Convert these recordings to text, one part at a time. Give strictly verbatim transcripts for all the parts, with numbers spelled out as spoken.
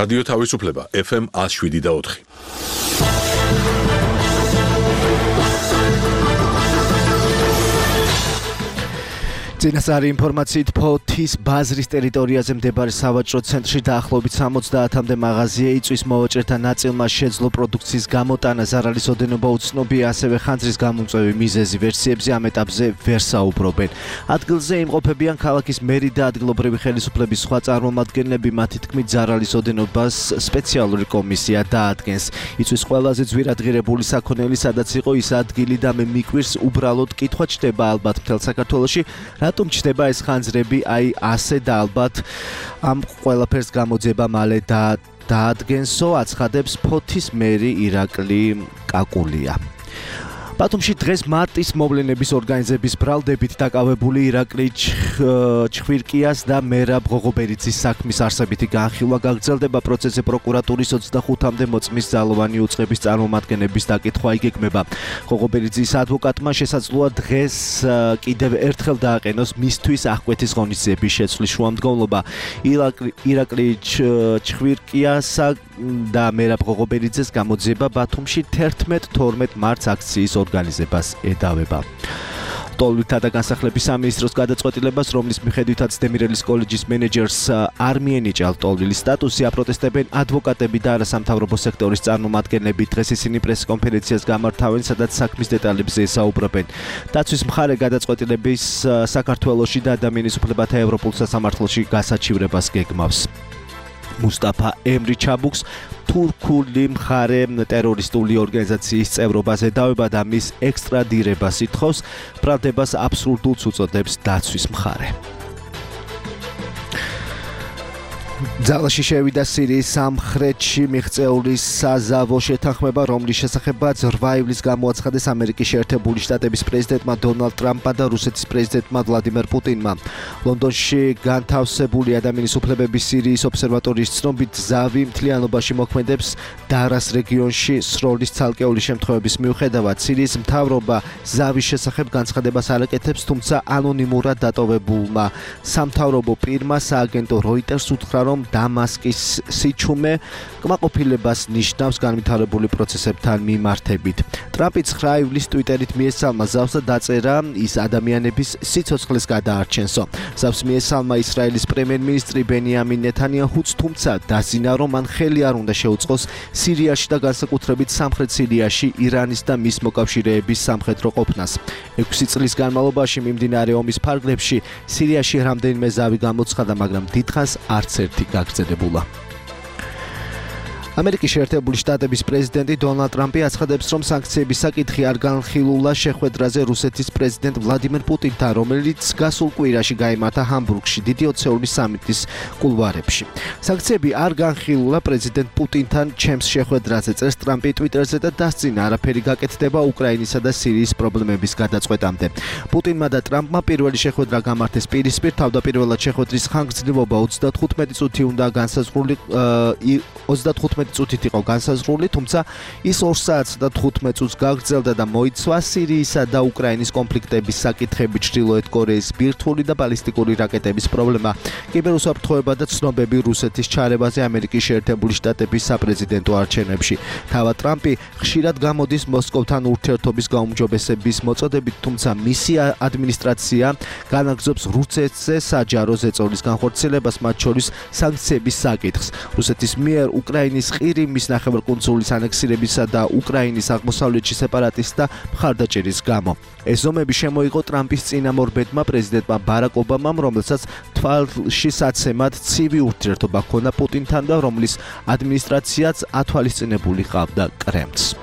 რადიო თავისუფლება ეფ ემ one oh seven და four. წინასწარი ინფორმაციით ფოთის ბაზრის ტერიტორიაზე მდებარე სავაჭრო ცენტრში დაახლოებით სამოცდაათამდე მაღაზია იწვის, მოვაჭრეთა ნაწილმა შეძლო პროდუქციის გამოტანა, ზარალის ოდენობა უცნობია, ასევე ხანძრის გამომწვევი მიზეზი ვერსიებზე ამ ეტაპზე ვერ საუბრობენ. ადგილზე იმყოფებიან ქალაქის მერი და ადგილობრივი ხელისუფლების სხვა წარმომადგენლები, მათი თქმით ზარალის ოდენობას სპეციალური კომისია დაადგენს. იწვის ყველაზე ძვირადღირებული საქონელი სადაც იყო ის ადგილი და მე მიკვირს უბრალოდ კითხვა ჩდება ალბათ მთელ საქართველოში. რატომ ჩნდება ეს ხანძრები, აი ასე და ალბათ ამ ყველაფერს გამოძება მალე და დაადგენსო, აცხადებს ფოთის მერი ირაკლი კაკულია. ბათუმში დღეს მარტის მოვლენების ორგანიზების ბრალდებით დაკავებული ირაკლი ჩხვირკიას და მერაბ ღოღობერიძის საქმის არსებითი განხილვა გაგრძელდება. პროცესზე პროკურატურის ოცდახუთამდე მოწმის ძალოვანი უწყების წარმომადგენლების დაკითხვა იგეგმება. ღოღობერიძის ადვოკატმა შესაძლოა დღეს კიდევ ერთხელ დააყენოს მისთვის აღკვეთის ღონისძიების შეცვლის შუამდგომლობა. ირაკლი ჩხვირკიასა და მერაბ ღოღობერიძეს გამოძიება ბათუმში თერთმეტ-თორმეტ მარტს აქციის ორგანიზებას ედავება. ტოლვილთა და განსახლების სამინისტროს გადაწყვეტილებას, რომლის მიხედვითაც დემირელის კოლეჯის მენეჯერს არ მიენიჭა ტოლვილის სტატუსი, აპროტესტებენ ადვოკატები და არასამთავრობო სექტორის წარმომადგენლები. დღეს ისინი პრესკონფერენციას გამართავენ, სადაც საქმის დეტალებზე ესაუბრებენ. დაცვის მხარე გადაწყვეტილების საქართველოში და ადამიანის უფლებათა ევროპულ სასამართლოში გასაჩივრებას გეგმავს. მუსტაფა ემრი ჩაბუქს თურქული მხარე ტერორისტული ორგანიზაციის წევრობას ედავება და მის ექსტრადირებას ითხოვს. ბრალდებას აბსურდულს უწოდებს დაცვის მხარე. ძალაში შევიდა სირიის სამხრეთში მიღწეული საზავო შეთანხმება, რომლის შესახებაც რვა ივლისს გამოაცხადეს ამერიკის შეერთებული შტატების პრეზიდენტმა დონალდ ტრამპმა და რუსეთის პრეზიდენტმა ვლადიმერ პუტინმა. ლონდონში განთავსებული ადამიანის უფლებების სირიის ობსერვატორიის ცნობით, ზავი მთლიანობაში მოქმედებს დარას რეგიონში სროლის ცალკეული შემთხვევების მიუხედავად. სირიის მთავრობა ზავის შესახებ განცხადებას არ აკეთებს, თუმცა ანონიმურად დატოვებულმა სამთავრობო პირმა სააგენტო როიტერს უთხრა, რომ დამასკის სიჩუმე კმაყოფილებას ნიშნავს განვითარებული პროცესებთან მიმართებით. ტრამპი ცხრა ივლისს ტვიტერით მიესალმა ზავს და დაწერა, ის ადამიანების სიცოცხლეს გადაარჩენსო. ზავს მიესალმა ისრაელის პრემიერ-მინისტრი ბენიამინ ნეთანიაჰუც, თუმცა დაზინა, რომ მან ხელი არ უნდა შეუწყოს სირიაში და განსაკუთრებით სამხრეთ სირიაში ირანის და მის მოკავშირეების სამხედრო ყოფნას. ექვსი წლის განმავლობაში მიმდინარე ომის ფარგლებში სირიაში რამდენიმე ზავი გამოცხადა, მაგრამ დიდხანს არც ერთი გაგრძელებულა. ამერიკის შეერთებული შტატების პრეზიდენტი დონალდ ტრამპი აცხადებს, რომ სანქციების საკითხი არ განხილულა შეხვედრაზე რუსეთის პრეზიდენტ ვლადიმერ პუტინთან, რომელიც გასულ კვირაში გაიმართა ჰამბურგში დიდი ოცეული სამიტის კულუარებში. სანქციები არ განხილულა პრეზიდენტ პუტინთან ჩემს შეხვედრაზე, წერს ტრამპი ტვიტერზე და დასძინა, არაფერი გაკეთდება უკრაინისა და სირიის პრობლემების გადაწყვეტამდე. პუტინმა და ტრამპმა პირველი შეხვედრა გამართეს პირისპირ, თავდაპირველად შეხვედრის ხანგრძლივობა ოცდათხუთმეტი წუთი უნდა განსაზღვრული ოცდათხუთმეტი წუთით იყო განსაზღვრული, თუმცა ის ორ საათს და თხუთმეტ წუთს გაგრძელდა და მოიცვა სირიისა და უკრაინის კონფლიქტების საკითხები, ჩრდილოეთ კორეის ბირთვული და ბალისტიკური რაკეტების პრობლემა, კიბერუსაფრთხოება და ცნობები რუსეთის ჩარევაზე ამერიკის შეერთებული შტატების საპრეზიდენტო არჩევნებში. თავად ტრამპი ხშირად გამოდის მოსკოვთან ურთიერთობის გაუმჯობესების მოწოდებით, თუმცა მისი ადმინისტრაცია განაგრძობს რუსეთზე საჯარო ზეწოლის განხორციელებას, მათ შორის სანქციების საკითხს. რუსეთის მიერ უკრაინის ყირიმის ნახევარკუნძულის ანექსირებისა და უკრაინის აღმოსავლეთში სეპარატისტთა მხარდაჭერის გამო. ეს ზომები შემოიღო ტრამპის წინამორბედმა პრეზიდენტმა ბარაკ ობამამ, რომელსაც თვალში საცემად ცივი ურთიერთობა ჰქონდა პუტინთან და რომლის ადმინისტრაციაც ათვალისწინებული ჰყავდა კრემლს.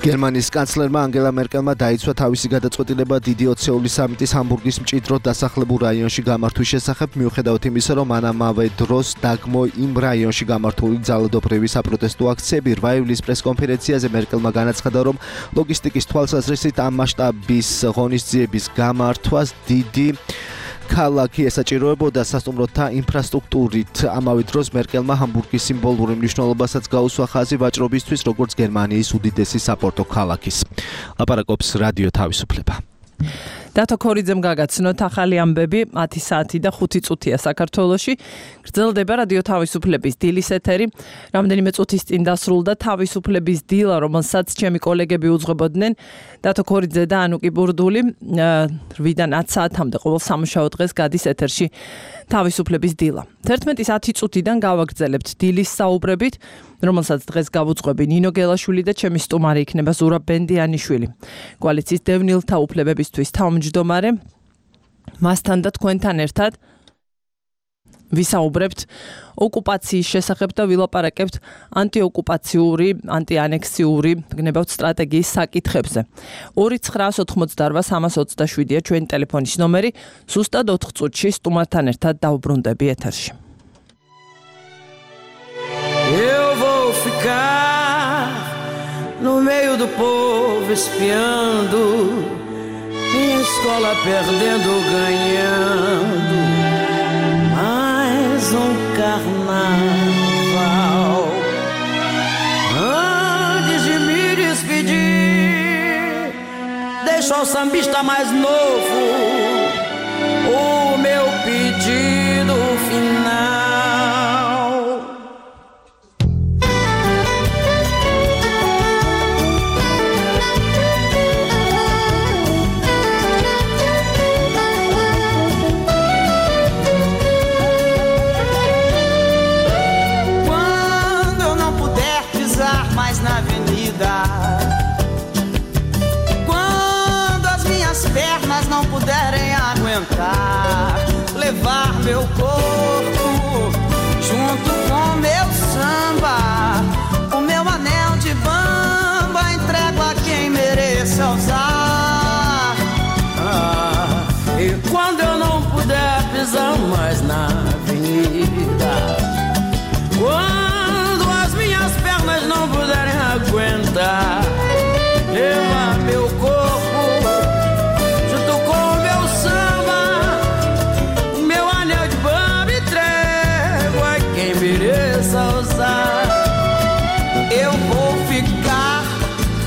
გერმანიის კანცლერმა ანგელა მერკელმა დაიცვა თავისი გადაწყვეტილება დიდი ოცეული სამიტის ჰამბურგის მჭიდროდ დასახლებულ რაიონში გამართვის შესახებ, მიუხედავად იმისა, რომ ამავე დროს დაგმო იმ რაიონში გამართული ძალადობრივი საპროტესტო აქციები. რვა ივლისის პრესკონფერენციაზე მერკელმა განაცხადა, რომ ლოგისტიკის თვალსაზრისით ამ მასშტაბის ღონისძიების გამართვას დიდი ქალაქი ესაჭიროებოდა სასტუმროთა ინფრასტრუქტურით. ამავე დროს მერკელმა ჰამბურგის სიმბოლური მნიშვნელობასაც გაუსვა ხაზი ვაჭრობისთვის, როგორც გერმანიის უდიდესი საპორტო ქალაქის. ლაპარაკობს რადიო თავისუფლება. დათო ქორიძემ გაგაცნოთ ახალი ამბები ათი საათი და ხუთი წუთია საქართველოში. გრძელდება რადიო თავისუფლების დილის ეთერი. რამდენიმე წუთის წინ დასრულდა თავისუფლების დილა, რომელსაც ჩემი კოლეგები უძღვებოდნენ. დათო ქორიძე და ანუკი ბურდული რვიდან ათ საათამდე ყოველ სამუშაო დღეს გადის ეთერში თავისუფლების დილა. თერთმეტის ათი წუთიდან გავაგრძელებთ დილის საუბრებით, რომელსაც დღეს გავუძღვები ნინო გელაშვილი და ჩემი სტუმარი იქნება ზურაბ ბენდიანიშვილი. კოალიციის დევნილთა უფლებებისთვის თავმჯდომარე. მასთან და თქვენთან ერთად ვისაუბრებთ ოკუპაციის შესახებ და ვილაპარაკებთ ანტიოკუპაციური, ანტიანექსიური გნებავთ სტრატეგიის საკითხებზე. ორი ცხრაას ოთხმოცდარვა სამას ოცდაშვიდია ჩვენი ტელეფონის ნომერი. ზუსტად ოთხ წუთში სტუმართან ერთად დავბრუნდები ეთერში. Eu vou ficar no meio do povo espiando, minha escola perdendo, ganhando, mais um carnaval. Antes de me despedir, deixa o sambista mais novo o meu pedido final. Na avenida, quando as minhas pernas não puderem aguentar, levar meu corpo junto com meu samba, o meu anel de bamba entrego a quem mereça usar. Ah, e quando eu não puder pisar mais na avenida, quando as minhas pernas não puderem aguentar, levar meu corpo junto com meu samba, meu anel de bamba entrego a quem mereça usar. Eu vou ficar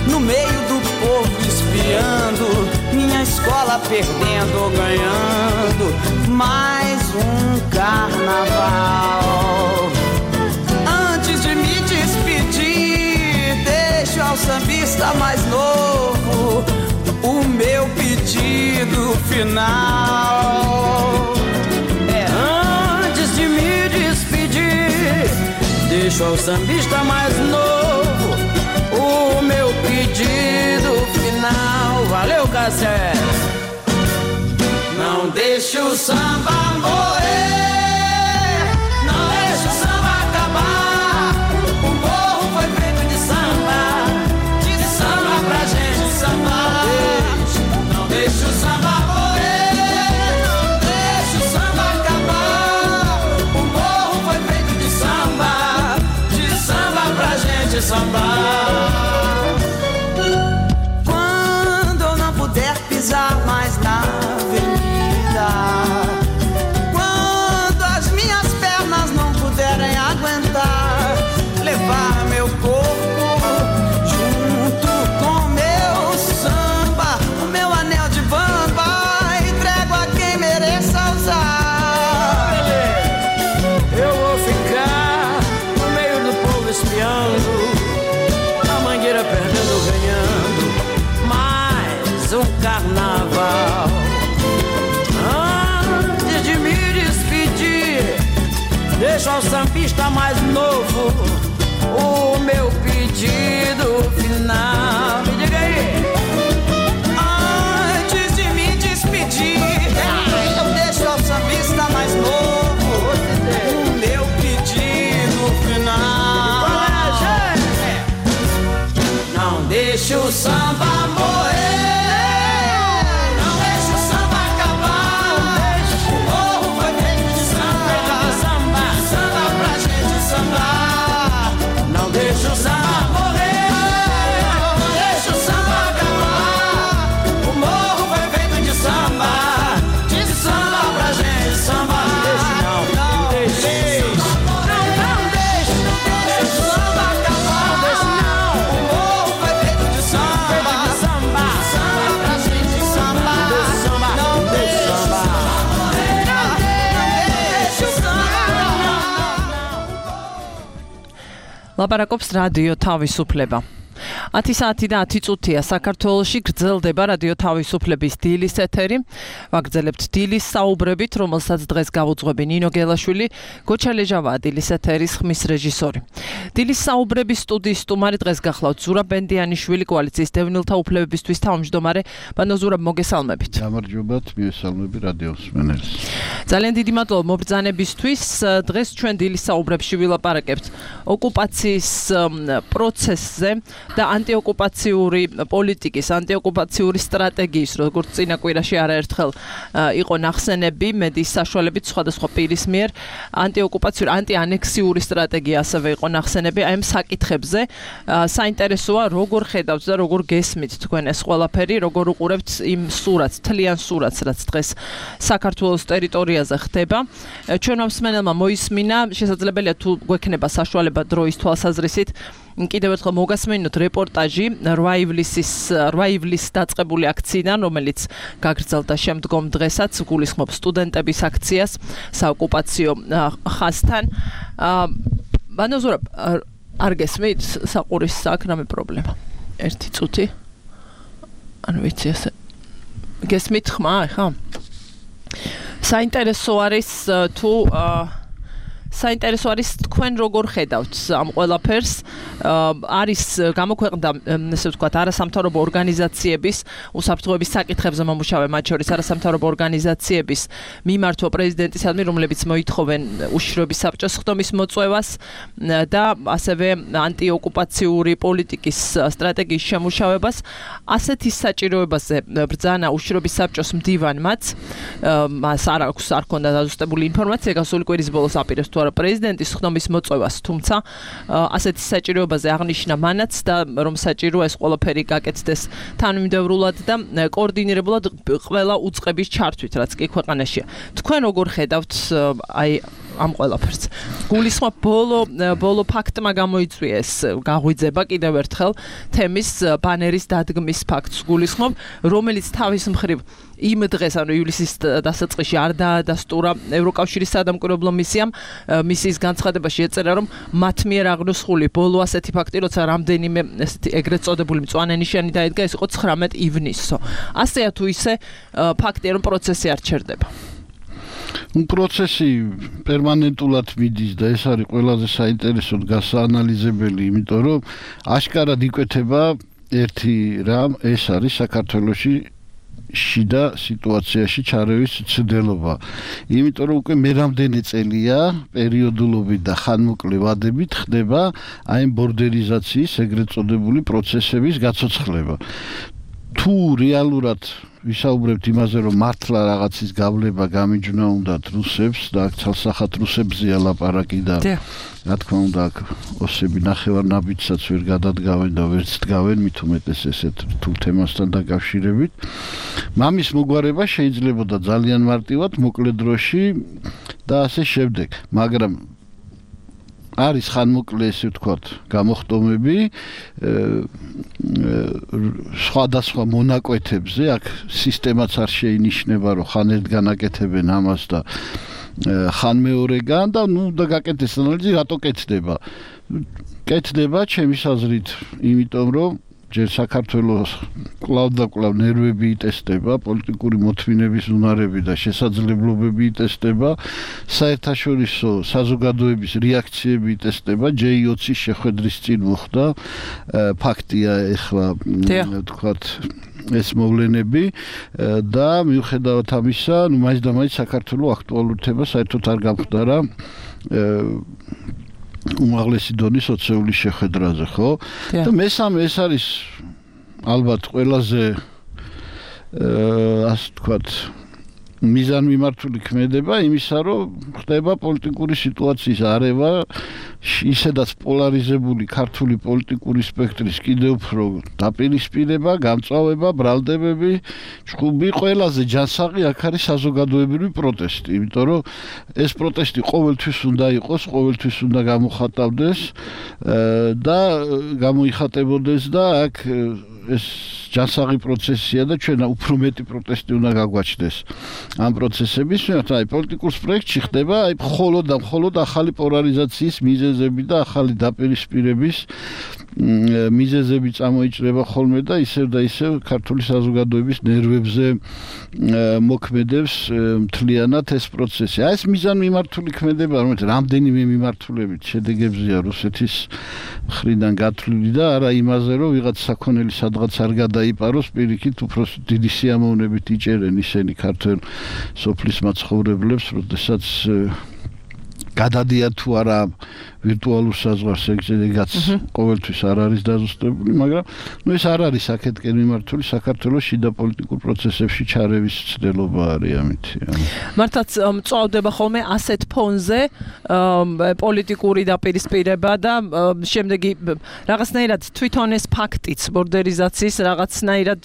no meio do povo espiando, minha escola perdendo ou ganhando, mais um carnaval. Antes de me despedir, deixo ao sambista mais novo o meu pedido final. É, antes de me despedir, deixo ao sambista mais novo o meu pedido final. Valeu, Cassé! Não deixe o samba morrer, não deixe o samba acabar. O morro foi feito de samba, de samba pra gente sambar. Não deixe o samba morrer, não deixe o samba acabar. O morro foi feito de samba, de samba pra gente sambar. Quando eu não puder pisar mais na avenida, quando as minhas pernas não puderem aguentar, levar meu corpo junto com meu samba, o meu anel de bamba entrego a quem mereça usar. Eu vou ficar no meio do povo espiando, a mangueira perdendo, ganhando, mais um carnaval. Antes de me despedir, deixo ao sambista mais novo o meu pedido final. Me diga aí. Antes de me despedir, eu deixo ao sambista mais novo o meu pedido final. Não deixe o samba morrer, ლაპარაკობს რადიო თავისუფლება. ათი საათი და ათი წუთია საქართველოში გრძელდება რადიო თავისუფლების დილის ეთერი. ვაგრძელებთ დილის საუბრებით, რომელსაც დღეს გავუძღვები ნინო გელაშვილი, გოჩა ლეჟავაა დილის ეთერის ხმის რეჟისორი. დილის საუბრების სტუდიის სტუმარი დღეს გახლავთ ზურაბ ბენდიანიშვილი, კოალიციის დევნილთა უფლებებისთვის თავმჯდომარე. ბანო ზურაბ, მოგესალმებით. გამარჯობათ, მიესალმები რადიოს მსმენელს. ძალიან დიდი მადლობა მობრძანებისთვის. დღეს ჩვენ დილის საუბრებში ვილაპარაკებთ ოკუპაციის პროცესზე და ანტიოკუპაციური პოლიტიკის, ანტიოკუპაციური სტრატეგიის, როგორც წინა კვირაში არაერთხელ იყო ნახსენები მედიის საშუალებით სხვადასხვა პირის მიერ, ანტიოკუპაციური, ანტიანექსიური სტრატეგია ასევე იყო ნახსენები. აი ამ საკითხებზე საინტერესოა როგორ ხედავთ და როგორ გესმით თქვენ ეს ყველაფერი, როგორ უყურებთ იმ სურათს, თლიან სურათს, რაც დღეს საქართველოს ტერიტორიაზე ხდება. ჩვენმა მსმენელმა მოისმინა, შესაძლებელია თუ გვექნება საშუალება დროის თვალსაზრისით, კიდევ ერთხელ მოგასმენინოთ რეპორტაჟი რვა ივლისის რვა ივლისს დაწყებული აქციიდან, რომელიც გაგრძელდა შემდგომ დღესაც, გულისხმობს სტუდენტების აქციას საოკუპაციო ხაზთან. ბანო ზურაბ, არ გესმით საყურის აქ რამე პრობლემა? ერთი წუთი. ანუ ვიცი ასე. გესმით ხმა, ხა? საინტერესო არის თუ საინტერესო არის თქვენ როგორ ხედავთ ამ ყველაფერს. არის გამოქვეყნდა, ესე ვთქვათ, არასამთავრობო ორგანიზაციების უსაფრთხოების საკითხებზე მომუშავე, მათ შორის არასამთავრობო ორგანიზაციების მიმართვა პრეზიდენტისადმი, რომლებიც მოითხოვენ უშიშროების საბჭოს ხდომის მოწვევას და ასევე ანტიოკუპაციური პოლიტიკის სტრატეგიის შემუშავებას. ასეთი საჭიროებაზე ბრძანა უშიშროების საბჭოს მდივანმაც, მას არ აქვს, არ ჰქონდა დაზუსტებული ინფორმაცია გასული კვირის ბოლოს აპირებს თუ პრეზიდენტის ხდომის მოწვევას, თუმცა ასეთი საჭიროებაზე აღნიშნა მანაც და რომ საჭიროა ეს ყველაფერი გაკეთდეს თანმიმდევრულად და კოორდინირებულად ყველა უწყების ჩართვით, რაც კი ქვეყანაშია. თქვენ როგორ ხედავთ აი ამ ყველაფერს? გულისხმობ ბოლო ბოლო ფაქტმა გამოიწვია ეს გაღვიძება კიდევ ერთხელ თემის ბანერის დადგმის ფაქტს გულისხმობ, რომელიც თავის მხრივ იმ დღეს, ანუ ივლისის დასაწყისში არ დაადასტურა ევროკავშირის სადამკვირვებლო მისიამ. მისიის განცხადებაში ეწერა, რომ მათ მიერ აღნოსხული ბოლო ასეთი ფაქტი, როცა რამდენიმე ესეთი ეგრეთ წოდებული მწვანე ნიშანი დაედგა, ეს იყო ცხრამეტ ივნისსო. ასეა თუ ისე ფაქტია, რომ პროცესი არ ჩერდება. პროცესი პერმანენტულად მიდის და ეს არის ყველაზე საინტერესო გასაანალიზებელი, იმიტომ რომ აშკარად იკვეთება ერთი რამ, ეს არის საქართველოში შიდა სიტუაციაში ჩარევის ცდელობა. იმიტომ რომ უკვე მე რამდენი წელია პერიოდულობით და ხანმოკლე ვადებით ხდება აი ამ ბორდერიზაციის ეგრეთ წოდებული პროცესების გაცოცხლება. თუ რეალურად ვისაუბრებთ იმაზე, რომ მართლა რაღაცის გავლება გამიჯვნა უნდათ რუსებს და აქ ცალსახად რუსებზეა ლაპარაკი და რა თქმა უნდა აქ ოსები ნახევარნაბიჯსაც ვერ გადადგავენ და ვერც დგავენ, მით უმეტეს ესეთ რთულ თემასთან დაკავშირებით. მამის მოგვარება შეიძლებოდა ძალიან მარტივად, მოკლე დროში და ასე შემდეგ, მაგრამ არის ხანმოკლე, ესე ვთქვათ, გამოხტომები სხვადასხვა მონაკვეთებზე, აქ სისტემაც არ შეინიშნება, რომ ხან ერთგან აკეთებენ ამას და ხან მეორეგან და ნუ და გაკეთეს ანალიზი, რატო კეთდება? კეთდება ჩემის აზრით, იმიტომ რომ ჯერ საქართველოს კვლავ და კვლავ ნერვები იტესტება, პოლიტიკური მოთმინების უნარები და შესაძლებლობები იტესტება, საერთაშორისო საზოგადოების რეაქციები იტესტება, ჯეი ოცის შეხვედრის წინ მოხდა, ფაქტია ეხლა ვთქვათ ეს მოვლენები და მიუხედავად ამისა, ნუ მაინც და მაინც საქართველოს აქტუალურობა საერთოდ არ გამხდარა უმაღლესი დონის ოცეულის შეხვედრაზე, ხო? და მესამე ეს არის ალბათ ყველაზე ასე ვთქვათ მიზანმიმართული ქმედება იმისა, რომ ხდება პოლიტიკური სიტუაციის არევა, ისედაც პოლარიზებული ქართული პოლიტიკური სპექტრის კიდევ უფრო დაპირისპირება, გამწვავება, ბრალდებები, ჭუბი, ყველაზე ჯანსაღი აქ არის საზოგადოებრივი პროტესტი, იმიტომ რომ ეს პროტესტი ყოველთვის უნდა იყოს, ყოველთვის უნდა გამოხატავდეს და გამოიხატებოდეს და აქ ეს ჯანსაღი პროცესია და ჩვენ უფრო მეტი პროტესტი უნდა გაგვაჩნდეს ამ პროცესების, აი პოლიტიკურ სპექტრში ხდება აი მხოლოდ და მხოლოდ ახალი პოლარიზაციის მიზეზი მიზეზები და ახალი დაპირისპირების მიზეზები წამოიჭრება ხოლმე და ისევ და ისევ ქართული საზოგადოების ნერვებზე მოქმედებს მთლიანად ეს პროცესი. აი ეს მიზანმიმართული ქმედება, რომელიც რამდენიმე მიმართულებით შედეგებზეა რუსეთის მხრიდან გათვლილი და არა იმაზე, რომ ვიღაც საქონელი სადღაც არ გადაიპაროს, პირიქით უფრო დიდი სიამოვნებით იჭერენ ისინი ქართველ სოფლის მაცხოვრებლებს, როდესაც გადადიან თუ არა ვირტუალურ საზღვარს, ეგაც ყოველთვის არ არის დაზუსტებული, მაგრამ ნუ ეს არ არის აქეთკენ მიმართული საქართველოს შიდა პოლიტიკურ პროცესებში ჩარევის ცდელობა არის ამით. მართლაც მწვავდება ხოლმე ასეთ ფონზე პოლიტიკური დაპირისპირება და შემდეგი რაღაცნაირად თვითონ ეს ფაქტიც ბორდერიზაციის რაღაცნაირად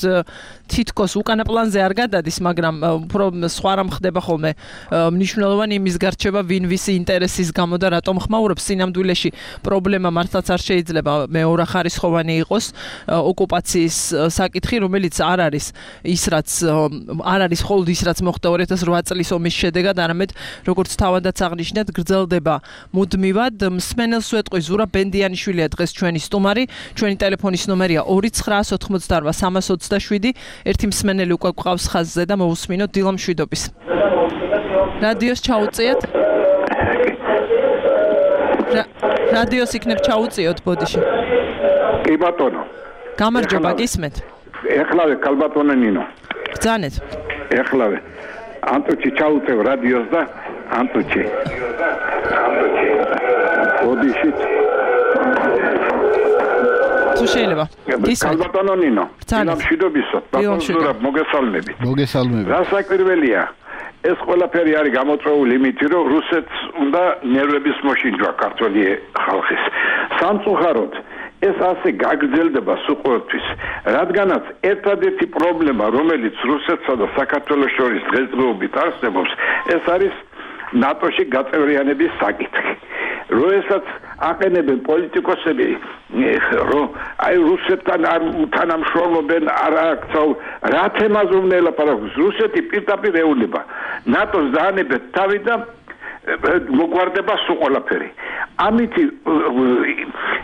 თითქოს უკანა პლანზე არ გადადის, მაგრამ უფრო სხვა რამ ხდება ხოლმე მნიშვნელოვანი იმის გარჩება ვინ ვისი ინტერესის გამო და რატომ ხმაურობს სინამდვილეში პრობლემა მართლაც არ შეიძლება მეორეხარისხოვანი იყოს ოკუპაციის საკითხი, რომელიც არ არის ის რაც არ არის მხოლოდ ის რაც მოხდა ორი ათას ოთხ წლის ომის შედეგად, არამედ როგორც თავადაც აღნიშნეთ, გრძელდება მუდმივად. მსმენელს ვეტყვი, ზურაბ ბენდიანიშვილია დღეს ჩვენი სტუმარი, ჩვენი ტელეფონის ნომერია ორი ცხრაასი ოცდაოთხი სამას ოცდაშვიდი. ერთი მსმენელი უკვე გვყავს ხაზზე და მოусმინოთ დილა მშვიდობის. რადიოს ჩაუწიეთ. რადიოს იქნებ ჩაუწიოთ ბოდიში. კი ბატონო. გამარჯობა, გისმენთ. ეხლავე კალბატონე ნინო. ბრძანეთ. ეხლავე. ანტუჩი ჩაუწევ რადიოს და ანტუჩი. ბოდიში. თუ შეიძლება. გისმენთ. კალბატონო ნინო. დილა მშვიდობისო. ბატონო მოგესალმებით. მოგესალმებით. რასაკვირველია. ეს ყველაფერი არის გამოწვეული იმით, რომ რუსეთს უნდა ნერვების მოშინჯვა ქართული ხალხის. სამწუხაროდ ეს ასე გაგრძელდება სულ რადგანაც ერთადერთი პრობლემა, რომელიც რუსეთსა და საქართველოს შორის დღესდღეობით არსებობს, ეს არის ნატოში გაწევრიანების საკითხი. როდესაც აყენებენ პოლიტიკოსები, რომ აი რუსეთთან არ თანამშრომლობენ, არ აქცევ, რა თემაზე უნდა ელაპარაკოს, რუსეთი პირდაპირ ეუბნება ნატოს დაანებეთ თავი და მოგვარდება სულ ყველაფერი. ამით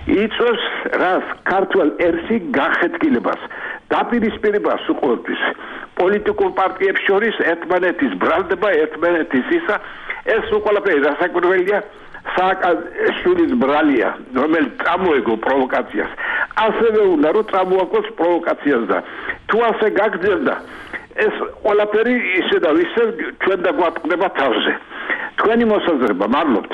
იწვევს რას ქართულ ერსი გახეთქილებას, დაპირისპირებას სულ ყოველთვის პოლიტიკურ პარტიებს შორის ერთმანეთის ბრალდება, ერთმანეთის ისა, ეს სულ ყველაფერი რასაკვირველია სააკაშვილის ბრალია, რომელიც წამოეგო პროვოკაციას. ასევე უნდა რომ წამოაგოს პროვოკაციას და თუ ასე გაგრძელდა, ეს ყველაფერი ისე და ისე ჩვენ და გვატყდება თავზე. თქვენი მოსაზრება, მადლობთ.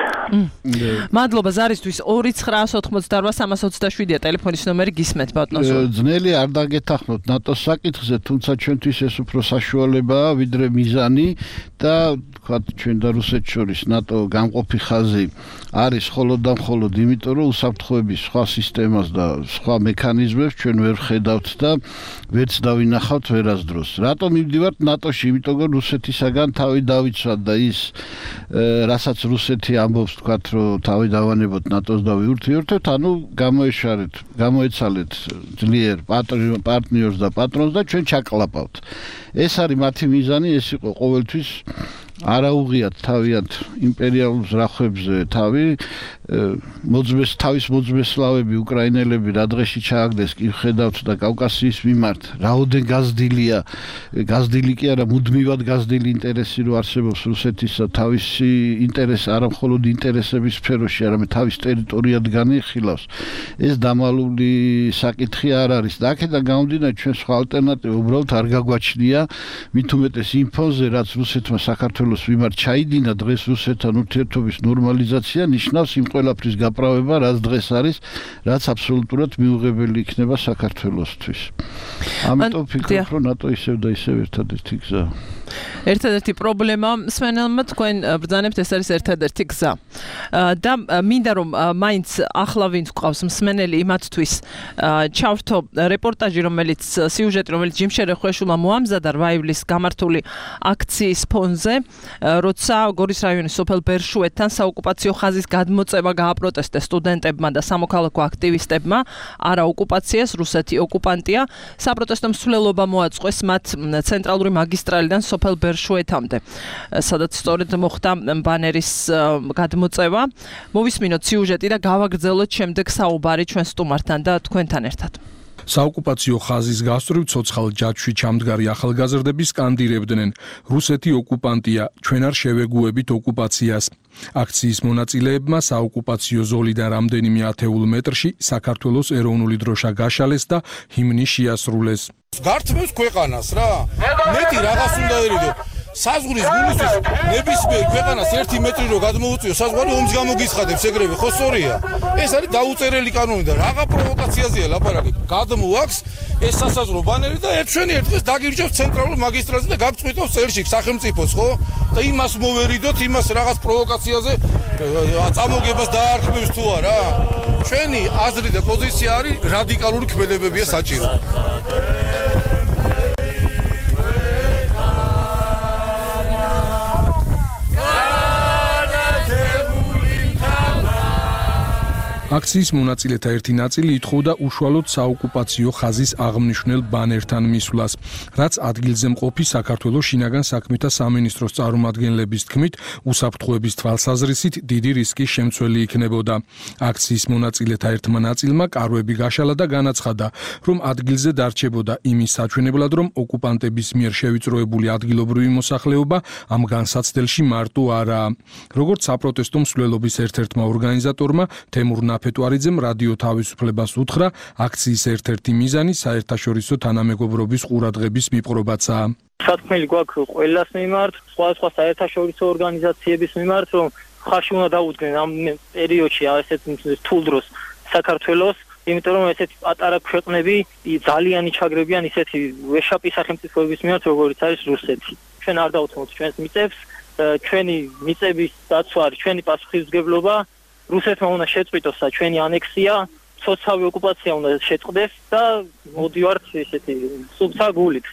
მადლობა ზარისთვის ორი ცხრაასი ოცდაოთხი სამას ოცდაშვიდია ტელეფონის ნომერი, გისმენთ ბატონო. ძნელი არ დაგეთახმოთ ნატოს საკითხზე, თუმცა ჩვენთვის ეს უფრო საშუალებაა ვიდრე მიზანი და თქვათ ჩვენ და რუსეთს შორის ნატო გამყოფი ხაზი არის მხოლოდ და მხოლოდ იმიტომ, რომ უსაფრთხოების სხვა სისტემას და სხვა მექანიზმებს ჩვენ ვერ ხედავთ და ვერც დავინახავთ ვერასდროს. რატომ მივდივართ ნატოში? იმიტომ რომ რუსეთისაგან თავი დავიცვათ და ის რასაც რუსეთი ამბობს, თქვათ, რომ თავი დავანებოთ ნატოს და ვიურთიერთოთ, ანუ გამოეშარეთ, გამოეცალეთ ძლიერ პარტნიორს და პატრონს და ჩვენ ჩაკლაპავთ. ეს არის მათი მიზანი, ეს იყო ყოველთვის არაუღიათ თავიანთ იმპერიალურ ზრახვებზე თავი მოძმეს თავის მოძმესლავები უკრაინელები რა დღეში ჩააგდეს კი ხედავთ და კავკასიის მიმართ რაოდენ გაზრდილია გაზრდილი კი არა მუდმივად გაზრდილი ინტერესი რო არსებობს რუსეთისა თავისი ინტერესი არა მხოლოდ ინტერესების სფეროში არამედ თავის ტერიტორიად განიხილავს ეს დამალული საკითხი არ არის და აქედან გამომდინარე ჩვენ სხვა ალტერნატივა უბრალოდ არ გაგვაჩნია მით უმეტეს იმ ფონზე რაც რუსეთმა საქართველოს მიმართ ჩაიდინა დღეს რუსეთთან ურთიერთობის ნორმალიზაცია ნიშნავს იმ ყველაფრის გაправება რაც დღეს არის რაც აბსოლუტურად მიუღებელი იქნება საქართველოსთვის ამიტომ ვფიქრობ რომ ნატო ისევ და ისევ ერთადერთი გზაა ერთადერთი პრობლემა მსმენელმა თქვენ ბრძანებთ ეს არის ერთადერთი გზა და მინდა რომ მაინც ახლა ვინც გვყავს მსმენელი იმათთვის ჩავრთო რეპორტაჟი რომელიც სიუჟეტი რომელიც ჯიმშერე ხვეშულმა მოამზადა რვა ივლისს გამართული აქციის ფონზე როცა გორის რაიონის სოფელ ბერშუეთთან საოკუპაციო ხაზის გადმოწევა გააპროტესტეს სტუდენტებმა და სამოქალაქო აქტივისტებმა არა ოკუპაციას რუსეთი ოკუპანტია საპროტესტო მსვლელობა მოაწყვეს მათ ცენტრალური მაგისტრალიდან სოფელ ბერშუეთამდე, სადაც სწორედ მოხდა ბანერის გადმოწევა. მოვისმინოთ სიუჟეტი და გავაგრძელოთ შემდეგ საუბარი ჩვენ სტუმართან და თქვენთან ერთად. საოკუპაციო ხაზის გასწვრივ ცოცხალ ჯაჭვში ჩამდგარი ახალგაზრდები სკანდირებდნენ: რუსეთი ოკუპანტია, ჩვენ არ შევეგუებით ოკუპაციას. აქციის მონაწილეებმა საოკუპაციო ზოლიდან რამდენიმე ათეულ მეტრში საქართველოს ეროვნული დროშა გაშალეს და ჰიმნი შეასრულეს. გართმევს ქვეყანას რა. მეტი რაღაც უნდა ერიდო. საზღვრის გულისთვის ნებისმიერ ქვეყანას ერთი მეტრი რო გადმოუწიო, საზღვარი ომს გამოგიცხადებს, ეგრევე ხო სწორია? ეს არის დაუწერელი კანონი და რაღა პროვოკაციაზეა ლაპარაკი. გადმოაქვს ეს სასაზღვრო ბანერი და ერთშვენი ერთდღეს დაგირჩევს ცენტრალურ მაგისტრატზე და გაგწყვიტავს წელში სახელმწიფოს, ხო? და იმას მოვერიდოთ, იმას რაღაც პროვოკაციაზე წამოგებას დაარქმევს თუ არა? ჩვენი აზრი და პოზიცია არის რადიკალური ქმედებებია საჭირო. აქციის მონაწილეთა ერთი ნაწილი ითხოვდა უშუალოდ საოკუპაციო ხაზის აღმნიშვნელ ბანერთან მისვლას, რაც ადგილზე მყოფი საქართველოს შინაგან საქმეთა სამინისტროს წარმომადგენლების თქმით, უსაფრთხოების თვალსაზრისით დიდი რისკის შემცველი იქნებოდა. აქციის მონაწილეთა ერთმა ნაწილმა კარვები გაშალა და განაცხადა, რომ ადგილზე დარჩებოდა იმის საჩვენებლად, რომ ოკუპანტების მიერ შევიწროებული ადგილობრივი მოსახლეობა ამ განსაცდელში მარტო არაა. როგორც საპროტესტო მსვლელობის ერთ-ერთმა ორგანიზატორმა თემურ ფეტუარიძემ რადიო თავისუფლებას უთხრა, აქციის ერთ-ერთი მიზანი საერთაშორისო თანამეგობრობის ყურადღების მიპყრობაცაა. სათქმელი გვაქვს ყველას მიმართ, სხვადასხვა საერთაშორისო ორგანიზაციების მიმართ, რომ ხარში უნდა დაუდგნენ ამ პერიოდში ასეთ რთულ დროს საქართველოს, იმიტომ რომ ესეთი პატარა ქვეყნები ძალიან იჩაგრებიან ისეთი ვეშაპი სახელმწიფოების მიმართ, როგორც არის რუსეთი. ჩვენ არ დავუთმოთ ჩვენს მიწებს, ჩვენი მიწების დაცვა არის ჩვენი პასუხისმგებლობა. რუსეთმა უნდა შეწყვიტოს ჩვენი ანექსია, ცოცხალი ოკუპაცია უნდა შეწყდეს და მოდივართ ესეთი სუფთა გულით.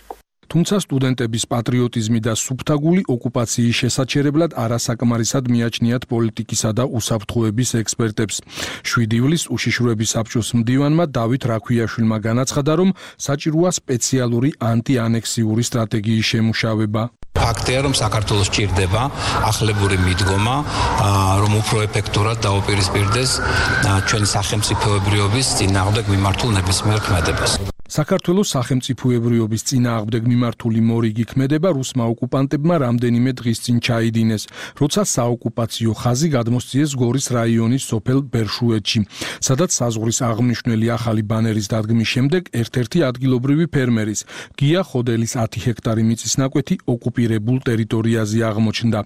თუმცა სტუდენტების პატრიოტიზმი და სუფთა გული ოკუპაციის შესაჩერებლად არასაკმარისად მიაჩნიათ პოლიტიკისა და უსაფრთხოების ექსპერტებს. შვიდი ივლისს უშიშროების საბჭოს მდივანმა დავით რაქვიაშვილმა განაცხადა, რომ საჭიროა სპეციალური ანტიანექსიური სტრატეგიის შემუშავება. ფაქტია, რომ საქართველოს ჭირდება ახლებური მიდგომა, რომ უფრო ეფექტურად დაუპირისპირდეს ჩვენი სახელმწიფოებრიობის წინააღმდეგ მიმართულ ნებისმიერ ქმედებას. საქართველოს სახელმწიფოებრიობის წინააღმდეგ მიმართული მორიგი ქმედება რუსმა ოკუპანტებმა რამდენიმე დღის წინ ჩაიდინეს, როცა საოკუპაციო ხაზი გადმოსციეს გორის რაიონის სოფელ ბერშუეთში, სადაც საზღვრის აღმნიშვნელი ახალი ბანერის დადგმის შემდეგ ერთ-ერთი ადგილობრივი ფერმერის, გია ხოდელის ათი ჰექტარი მიწის ნაკვეთი ოკუპირებულ ტერიტორიაზე აღმოჩნდა,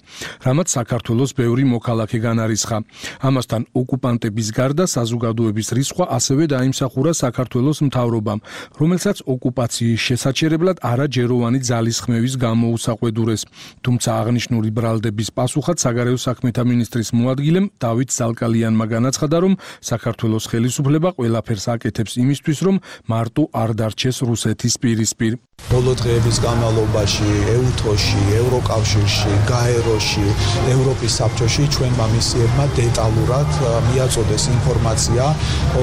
რამაც საქართველოს ბევრი მოქალაქე განარისხა. ამასთან ოკუპანტების გარდა საზოგადოების რისხვა ასევე დაიმსახურა საქართველოს მთავრობამ, რომელსაც ოკუპაციის შესაჩერებლად არაჯეროვანი ძალისხმევის გამოუსაყვედურეს. თუმცა აღნიშნული ბრალდების პასუხად საგარეო საქმეთა მინისტრის მოადგილემ დავით ზალკალიანმა განაცხადა, რომ საქართველოს ხელისუფლება ყველაფერს აკეთებს იმისთვის, რომ მარტო არ დარჩეს რუსეთის პირისპირ. ბოლო დღეების განმავლობაში ეუთოში, ევროკავშირში, გაეროში, ევროპის საბჭოში ჩვენმა მისიებმა დეტალურად მიაწოდეს ინფორმაცია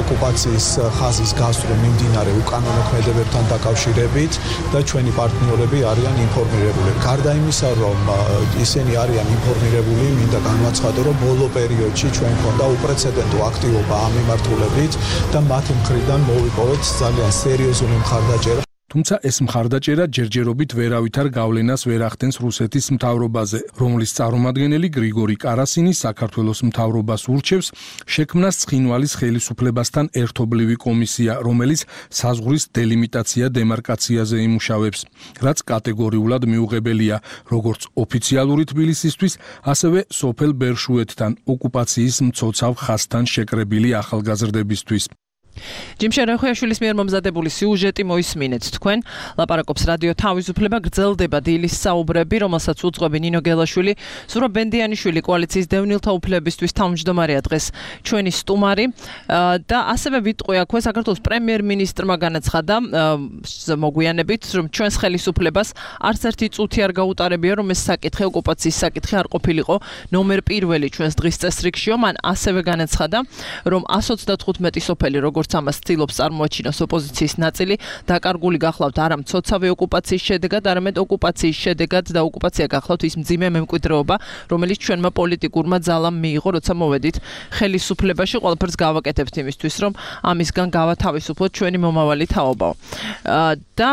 ოკუპაციის ხაზის გასწვრივ მიმდინარე უკანონო ქმედებებთან დაკავშირებით და ჩვენი პარტნიორები არიან ინფორმირებული. გარდა იმისა, რომ ისინი არიან ინფორმირებული, მინდა განვაცხადო, რომ ბოლო პერიოდში ჩვენ ქონდა უპრეცედენტო აქტივობა ამ მიმართულებით და მათი მხრიდან მოვიპოვეთ ძალიან სერიოზული მხარდაჭერა. თუმცა ეს მხარდაჭერა ჯერჯერობით ვერავითარ გავლენას ვერ ახდენს რუსეთის მთავრობაზე, რომლის წარმომადგენელი გრიგორი კარასინი საქართველოს მთავრობას ურჩევს შექმნას ცხინვალის ხელისუფლებასთან ერთობლივი კომისია, რომელიც საზღვრის დელიმიტაცია დემარკაციაზე იმუშავებს, რაც კატეგორიულად მიუღებელია, როგორც ოფიციალური თბილისისთვის, ასევე სოფელ ბერშუეთთან ოკუპაციის მცოცავ ხაზთან შეკრებილი ახალგაზრდებისთვის. ჯიმშენ რახვიაშვილის მიერ მომზადებული სიუჟეტი მოისმინეთ თქვენ. ლაპარაკობს რადიო თავისუფლება, გრძელდება დილის საუბრები, რომელსაც უძღვები ნინო გელაშვილი, ზურაბ ბენდიანიშვილი კოალიციის დევნილთა უფლებისთვის თავმჯდომარეა დღეს ჩვენი სტუმარი და ასევე ვიტყვი აქვე საქართველოს პრემიერ-მინისტრმა განაცხადა მოგვიანებით, რომ ჩვენს ხელისუფლებას არც ერთი წუთი არ გაუტარებია, რომ ეს საკითხი ოკუპაციის საკითხი არ ყოფილიყო ნომერ პირველი ჩვენს დღის წესრიგშიო. მან ასევე განაცხადა, რომ εκατს ოცდათხუთმეტი სოფელი როგორც როგორც ამას ცდილობს წარმოაჩინოს ოპოზიციის ნაწილი, დაკარგული გახლავთ არა მცოცავი ოკუპაციის შედეგად, არამედ ოკუპაციის შედეგად და ოკუპაცია გახლავთ ის მძიმე მემკვიდრეობა, რომელიც ჩვენმა პოლიტიკურმა ძალამ მიიღო, როცა მოვედით ხელისუფლებაში. ყველაფერს გავაკეთებთ იმისთვის, რომ ამისგან გავათავისუფლოთ ჩვენი მომავალი თაობაო. და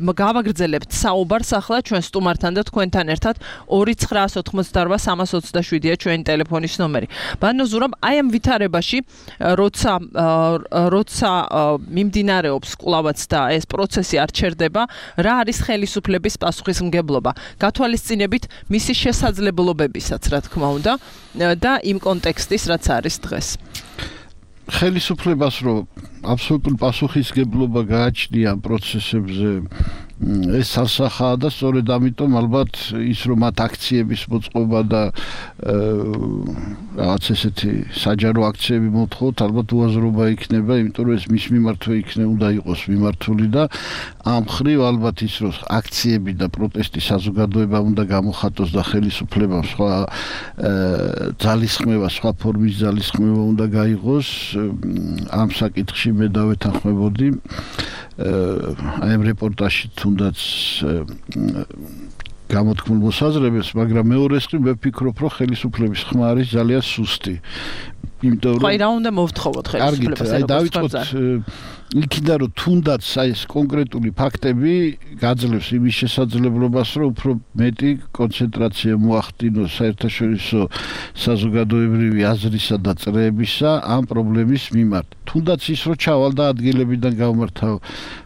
გავაგრძელებთ საუბარს ახლა ჩვენ სტუმართან და თქვენთან ერთად ორი ცხრაას ოთხმოცდაორვა სამას ოცდაშვიდია ჩვენი ტელეფონის ნომერი. ბანო ზურაბ, აი ამ ვითარებაში, როცა როცა მიმდინარეობს კვლავაც და ეს პროცესი არ ჩერდება, რა არის ხელისუფლების პასუხისმგებლობა? გათვალისწინებით მისი შესაძლებლობებისაც, რა თქმა უნდა, და იმ კონტექსტის, რაც არის დღეს. ხელისუფლებას რომ აბსოლუტური პასუხისმგებლობა გააჩნია ამ პროცესებზე ეს სასახაა და სწორედ ამიტომ ალბათ ის რომ მათ აქციების მოწყობა და რაღაც ესეთი საჯარო აქციები მოთხოვთ, ალბათ უაზრობა იქნება, იმიტომ რომ ეს მის მიმართვე იქნება უნდა იყოს მიმართული და ამ ხრივ ალბათ ის რომ აქციები და პროტესტი საზოგადოება უნდა გამოხატოს და ხელისუფლებამ სხვა ძალისხმევა, სხვა ფორმის ძალისხმევა უნდა გაიღოს, ამ საკითხში მე დავეთანხმებოდი აი ამ რეპორტაჟში თუნდაც გამოთქმულ მოსაზრებებს, მაგრამ მეორეს მხრივ მე ვფიქრობ, რომ ხელისუფლების ხმა არის ძალიან სუსტი. იმიტომ რომ აი რა უნდა მოვთხოვოთ ხელისუფლებას, აი დავიწყოთ იქიდან რომ თუნდაც აი ეს კონკრეტული ფაქტები გაძლევს იმის შესაძლებლობას, რომ უფრო მეტი კონცენტრაცია მოახდინოს საერთაშორისო საზოგადოებრივი აზრისა და წრეებისა ამ პრობლემის მიმართ. თუნდაც ის რომ ჩავალდა ადგილებიდან გავმართავ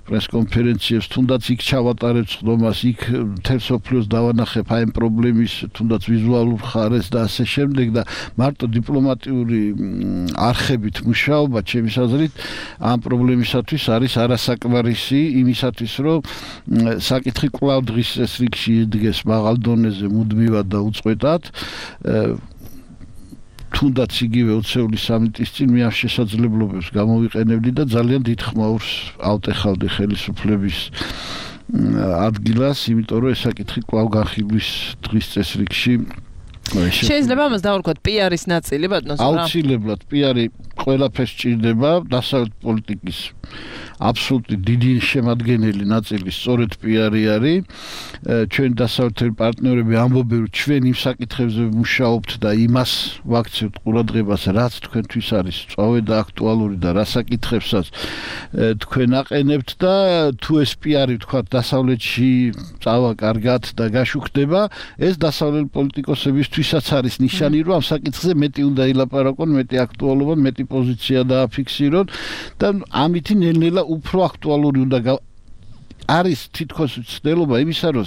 პრესკონფერენციებს, თუნდაც იქ ჩავატარებ ხდომას, იქ მთელ სოფლიოს დავანახებ აი ამ პრობლემის თუნდაც ვიზუალურ ხარეს და ასე შემდეგ და მარტო დიპლომატიური არხებით მუშაობა ჩემის აზრით ამ პრობლემისათვის არის არასაკმარისი იმისათვის რომ საკითხი კვლავ დღის წესრიგში იდგეს მაღალ დონეზე მუდმივად და უწყვეტად თუნდაც იგივე ოცეული სამიტის წინ მე ამ შესაძლებლობებს გამოვიყენებდი და ძალიან დიდ ხმაურს ავტეხავდი ხელისუფლების ადგილას, იმიტომ რომ ეს საკითხი კვლავ განხილვის დღის წესრიგში შეიძლება ამას დავარქვათ პიარის ნაწილი, ბატონო ზურაბ. აუცილებლად პიარი ყველაფერს ჭირდება, დასავლეთ პოლიტიკის აბსოლუტური დიდი შემადგენელი ნაწილი სწორედ პიარი არის. ჩვენ დასავლეთელი პარტნიორები ამბობენ, რომ ჩვენ იმ საკითხებზე ვმუშაობთ და იმას ვაქცევთ ყურადღებას, რაც თქვენთვის არის სწორი და აქტუალური და რა საკითხებსაც თქვენ აყენებთ და თუ ეს პიარი ვთქვათ დასავლეთში წავა კარგად და გაშუქდება, ეს დასავლელი პოლიტიკოსებისთვისაც არის ნიშანი, რომ ამ საკითხზე მეტი უნდა ილაპარაკონ, მეტი აქტუალობა, მეტი პოზიცია დააფიქსირონ და ამით ნელ-ნელა უფრო აქტუალური უნდა არის თითქოს ცდელობა იმისა, რომ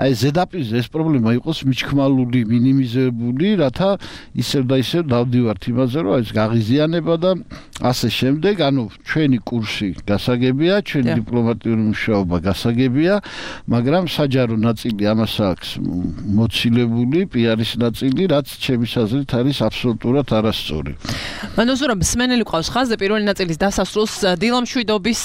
აი ზედაპირზე ეს პრობლემა იყოს მიჩქმალული, მინიმიზებული, რათა ისევ და ისევ დავდივართ იმაზე, რომ ეს გაღიზიანება და ასე შემდეგ, ანუ ჩვენი კურსი გასაგებია, ჩვენი დიპლომატიური მუშაობა გასაგებია, მაგრამ საჯარო ნაწილი ამას აქვს მოცილებული, პიარის ნაწილი, რაც ჩემის აზრით არის აბსოლუტურად არასწორი. ბანო ზურაბ, მსმენელი ყავს ხაზზე პირველი ნაწილის დასასრულს დილამშვიდობის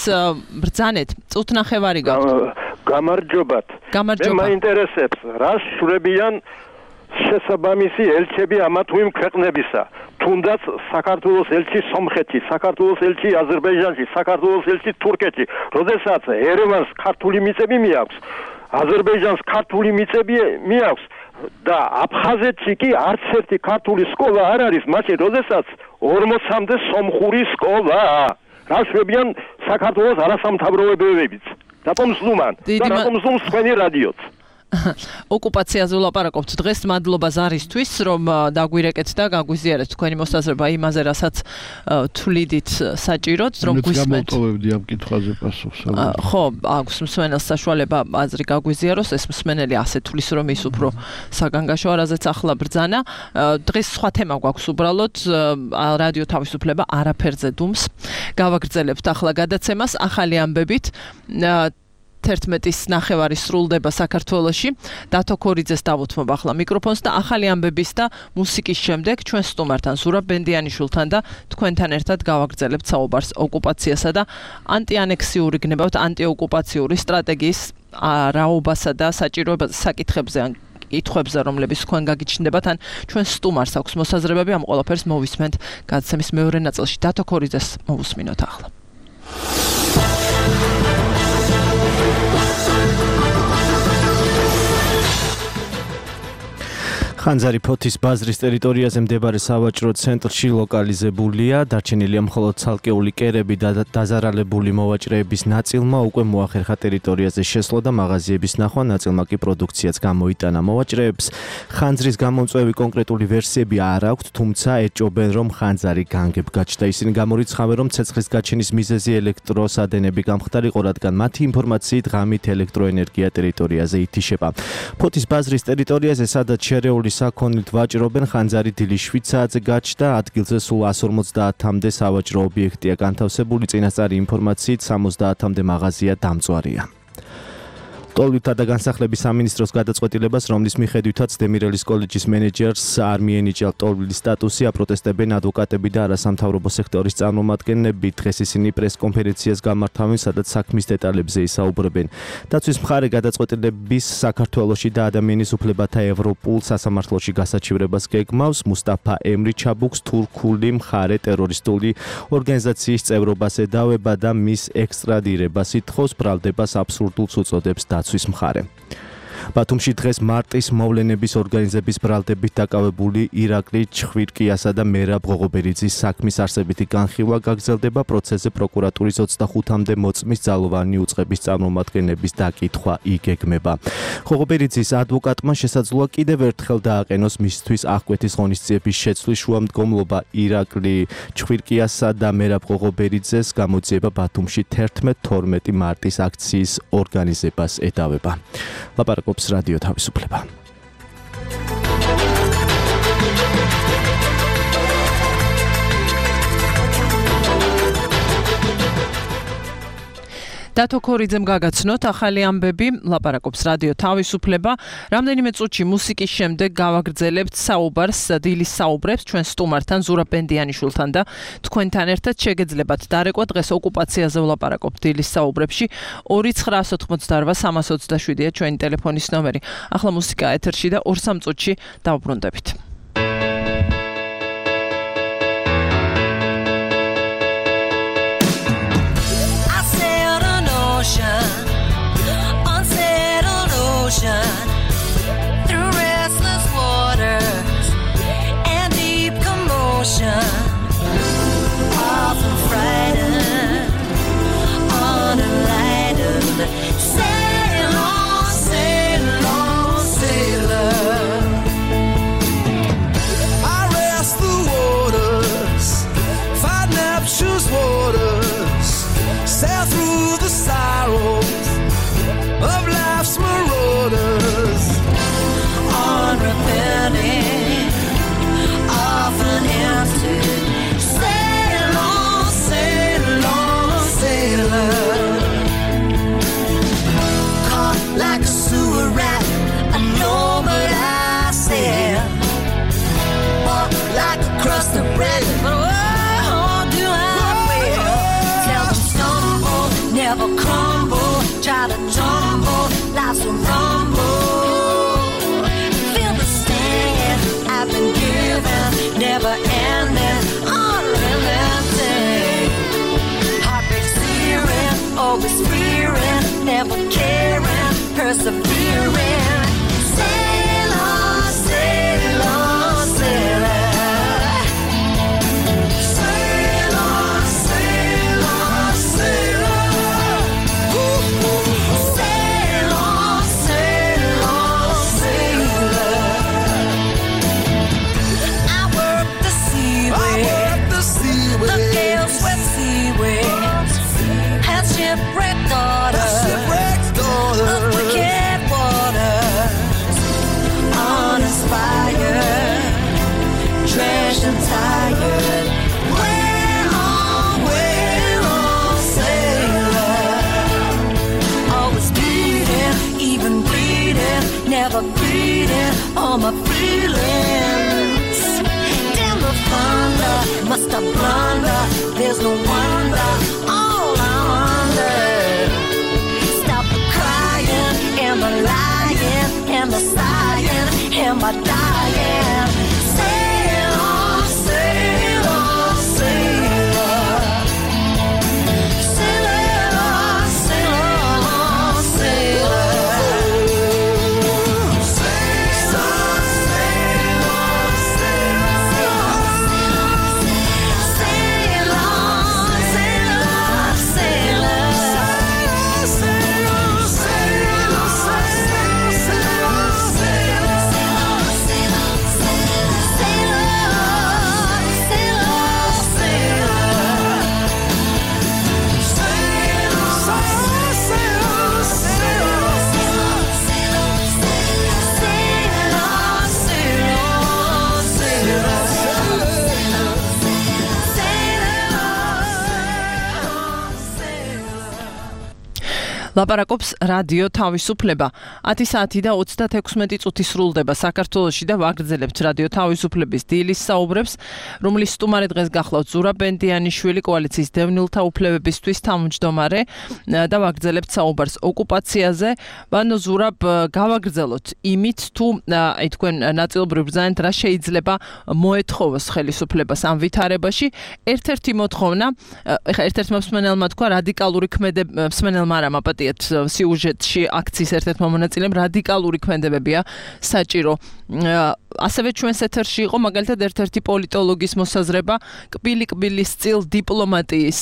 ბრძანეთ, წუთნახევარი გამარჯობათ. მე მაინტერესებს, რას შვრებიან შესაბამისი ელჩები ამა თუ იმ ქვეყნებისა. თუნდაც საქართველოს ელჩი სომხეთში, საქართველოს ელჩი აზერბაიჯანში, საქართველოს ელჩი თურქეთში. როდესაც ერევანს ქართული მიწები მიაქვს, აზერბაიჯანს ქართული მიწები მიაქვს და აფხაზეთში კი არც ერთი ქართული სკოლა არ არის, მაშინ როდესაც ორმოცამდე სომხური სკოლაა. რას შვრებიან საქართველოს არასამთავრობოებებიც? რატომ ზლუმან? და რატომ ზლუმს თქვენი რადიოც? ოკუპაციაზე ვლაპარაკობთ დღეს, მადლობა ზარისთვის, რომ დაგვირეკეთ და გაგვიზიარეთ თქვენი მოსაზრება იმაზე, რასაც თვლიდით საჭიროდ, რომ გვისმენთ. გამოვტოვებდი ამ კითხვაზე პასუხს. ხო, აქვს მსმენელს საშუალება აზრი გაგვიზიაროს, ეს მსმენელი ასე თulis, რომ ის უფრო საგანგაშოა, რაზეც ახლა ბრძანა. დღეს სხვა თემა გვაქვს უბრალოდ, რადიო თავისუფლება არაფერზე დუმს. გავაგრძელებთ ახლა გადაცემას ახალი ამბებით. თერთმეტის ნახევარი სრულდება საქართველოში. დათო ქორიძეს დავუთმობ ახლა მიკროფონს და ახალი ამბების და მუსიკის შემდეგ ჩვენ სტუმართან ზურაბ ბენდიანიშვილთან და თქვენთან ერთად გავაგრძელებთ საუბარს ოკუპაციასა და ანტიანექსიური გნებავთ ანტიოკუპაციური სტრატეგიის რაობასა და საჭიროებაზე საკითხებზე კითხვებზე, რომლებიც თქვენ გაგიჩნდებათ, ან ჩვენ სტუმარს აქვს მოსაზრებები, ამ ყველაფერს მოვისმენთ გადაცემის მეორე ნაწილში. დათო ქორიძეს მოვუსმინოთ ახლა. ხანძარი ფოთის ბაზრის ტერიტორიაზე მდებარე სავაჭრო ცენტრში ლოკალიზებულია. დარჩენილია მხოლოდ ცალკეული კერები და დაზარალებული მოვაჭრეების ნაწილმა უკვე მოახერხა ტერიტორიაზე შესვლა და მაღაზიების ნახვა, ნაწილმა კი პროდუქციაც გამოიტანა. მოვაჭრეებს ხანძრის გამომწვევი კონკრეტული ვერსიები არ აქვთ, თუმცა ეჭობენ, რომ ხანძარი განგებ გაჩნდა. ისინი გამორიცხავენ, რომ ცეცხლის გაჩენის მიზეზი ელექტროსადენები გამხდარიყო, რადგან მათი ინფორმაციით ღამით ელექტროენერგია ტერიტორიაზე ითიშება. ფოთის ბაზრის ტერიტორიაზე, სადაც შერეული საქონლით ვაჭრობენ, ხანძარი დილის შვიდ საათზე გაჩნდა. ადგილზე სულ εκατს ორმოცდაათამდე სავაჭრო ობიექტია განთავსებული. წინასწარი ინფორმაციით სამოცდაათამდე მაღაზია დამწვარია. ტოლვითა და განსახლების სამინისტროს გადაწყვეტილებას, რომლის მიხედვითაც დემირელის კოლეჯის მენეჯერს არ მიენიჭა ტოლვილის სტატუსი, აპროტესტებენ ადვოკატები და არასამთავრობო სექტორის წარმომადგენლები. დღეს ისინი პრესკონფერენციას გამართავენ, სადაც საქმის დეტალებზე ისაუბრებენ. დაცვის მხარე გადაწყვეტილების საქართველოში და ადამიანის უფლებათა ევროპულ სასამართლოში გასაჩივრებას გეგმავს. მუსტაფა ემრი ჩაბუქს თურქული მხარე ტერორისტული ორგანიზაციის წევრობას ედავება და მის ექსტრადირებას ითხოვს, ბრალდებას აბსურდულს უწოდებს დაცვის მხარე. ბათუმში დღეს მარტის მოვლენების ორგანიზების ბრალდებით დაკავებული ირაკლი ჩხვირკიასა და მერაბ ღოღობერიძის საქმის არსებითი განხილვა გაგრძელდება. პროცესზე პროკურატურის ოცდახუთამდე მოწმის ძალოვანი უწყების წარმომადგენლების დაკითხვა იგეგმება. ღოღობერიძის ადვოკატმა შესაძლოა კიდევ ერთხელ დააყენოს მისთვის აღკვეთის ღონისძიების შეცვლის შუამდგომლობა. ირაკლი ჩხვირკიასა და მერაბ ღოღობერიძეს გამოძიება ბათუმში თერთმეტ თორმეტი მარტის აქციის ორგანიზებას ედავება. ლაპარაკობს რადიო თავისუფლება. დათო ქორიძემ გაგაცნოთ ახალი ამბები, ლაპარაკობს რადიო თავისუფლება. რამდენიმე წუთში მუსიკის შემდეგ გავაგრძელებთ საუბარს, დილის საუბრებს ჩვენ სტუმართან, ზურაბ ბენდიანიშვილთან და თქვენთან ერთად შეგეძლებათ დარეკვა. დღეს ოკუპაციაზე ვლაპარაკობთ დილის საუბრებში. ორი ცხრა ოთხმოცდაორვა სამას ოცდაშვიდია ჩვენი ტელეფონის ნომერი. ახლა მუსიკა ეთერში და ორ სამ წუთში დავუბრუნდებით. Unsettled ocean, through restless waters and deep commotion, often frightened, unenlightened. Sail on, sail on, sailor. I rest the waters, find Neptune's waters, sail through the sorrows of life's marauders, unrepenting, often empty. Sail on, sail on, sailor. Caught like a sewer rat, I know but I sail. Walk like a crust of bread, but oh, do I will. Tell them stumble, never crumble. Try to tumble, life's a rumble. Feel the sting I've been given, never ending, unrelenting. Heartbreak searing, always fearing, never caring, persevering. Sail on, sail on, sailor. Sail on, sail on, sailor. Sail on, sail on, sailor. I work the seaway, the gale swept seaways, had shipwrecked daughters of wicked waters, uninspired, drenched and tired. Way on, way on, sailor. Always bleeding, even bleeding, never bleeding all my feelings. Damn the thunder, must I blunder? There's no wonder, all I wonder. Stop the crying and the lying and the sighing. my dying. Sail on, sail on, sail on. Sail on, sail on, sail on. Sail on, sail on, sail on. Sail on, sail on, sail on. Sail on, sail on, sail on, sail on. ლაპარაკობს რადიო თავისუფლება. ათი საათი და ოცდათექვსმეტი წუთი სრულდება საქართველოში და ვაგრძელებთ რადიო თავისუფლების დილის საუბრებს, რომლის სტუმარი დღეს გახლავთ ზურაბ ბენდიანიშვილი, კოალიციის დევნილთა უფლებებისთვის თავმჯდომარე და ვაგრძელებთ საუბარს ოკუპაციაზე. ბანო ზურაბ, გავაგრძელოთ იმით, თუ აი თქვენ ნაწილობრივ ბრძანეთ, რა შეიძლება მოეთხოვოს ხელისუფლებას ამ ვითარებაში. ერთ-ერთი მოთხოვნა, ეხლა ერთ-ერთმა მსმენელმა თქვა რადიკალური ქმედება, მსმენელმა არა მაპატი სიუჟეტში აქციის ერთ-ერთმა მონაწილემ რადიკალური ქმედებებია საჭირო. ასევე ჩვენს ეთერში იყო მაგალითად ერთ-ერთი პოლიტოლოგის მოსაზრება კბილი-კბილის წილ დიპლომატიის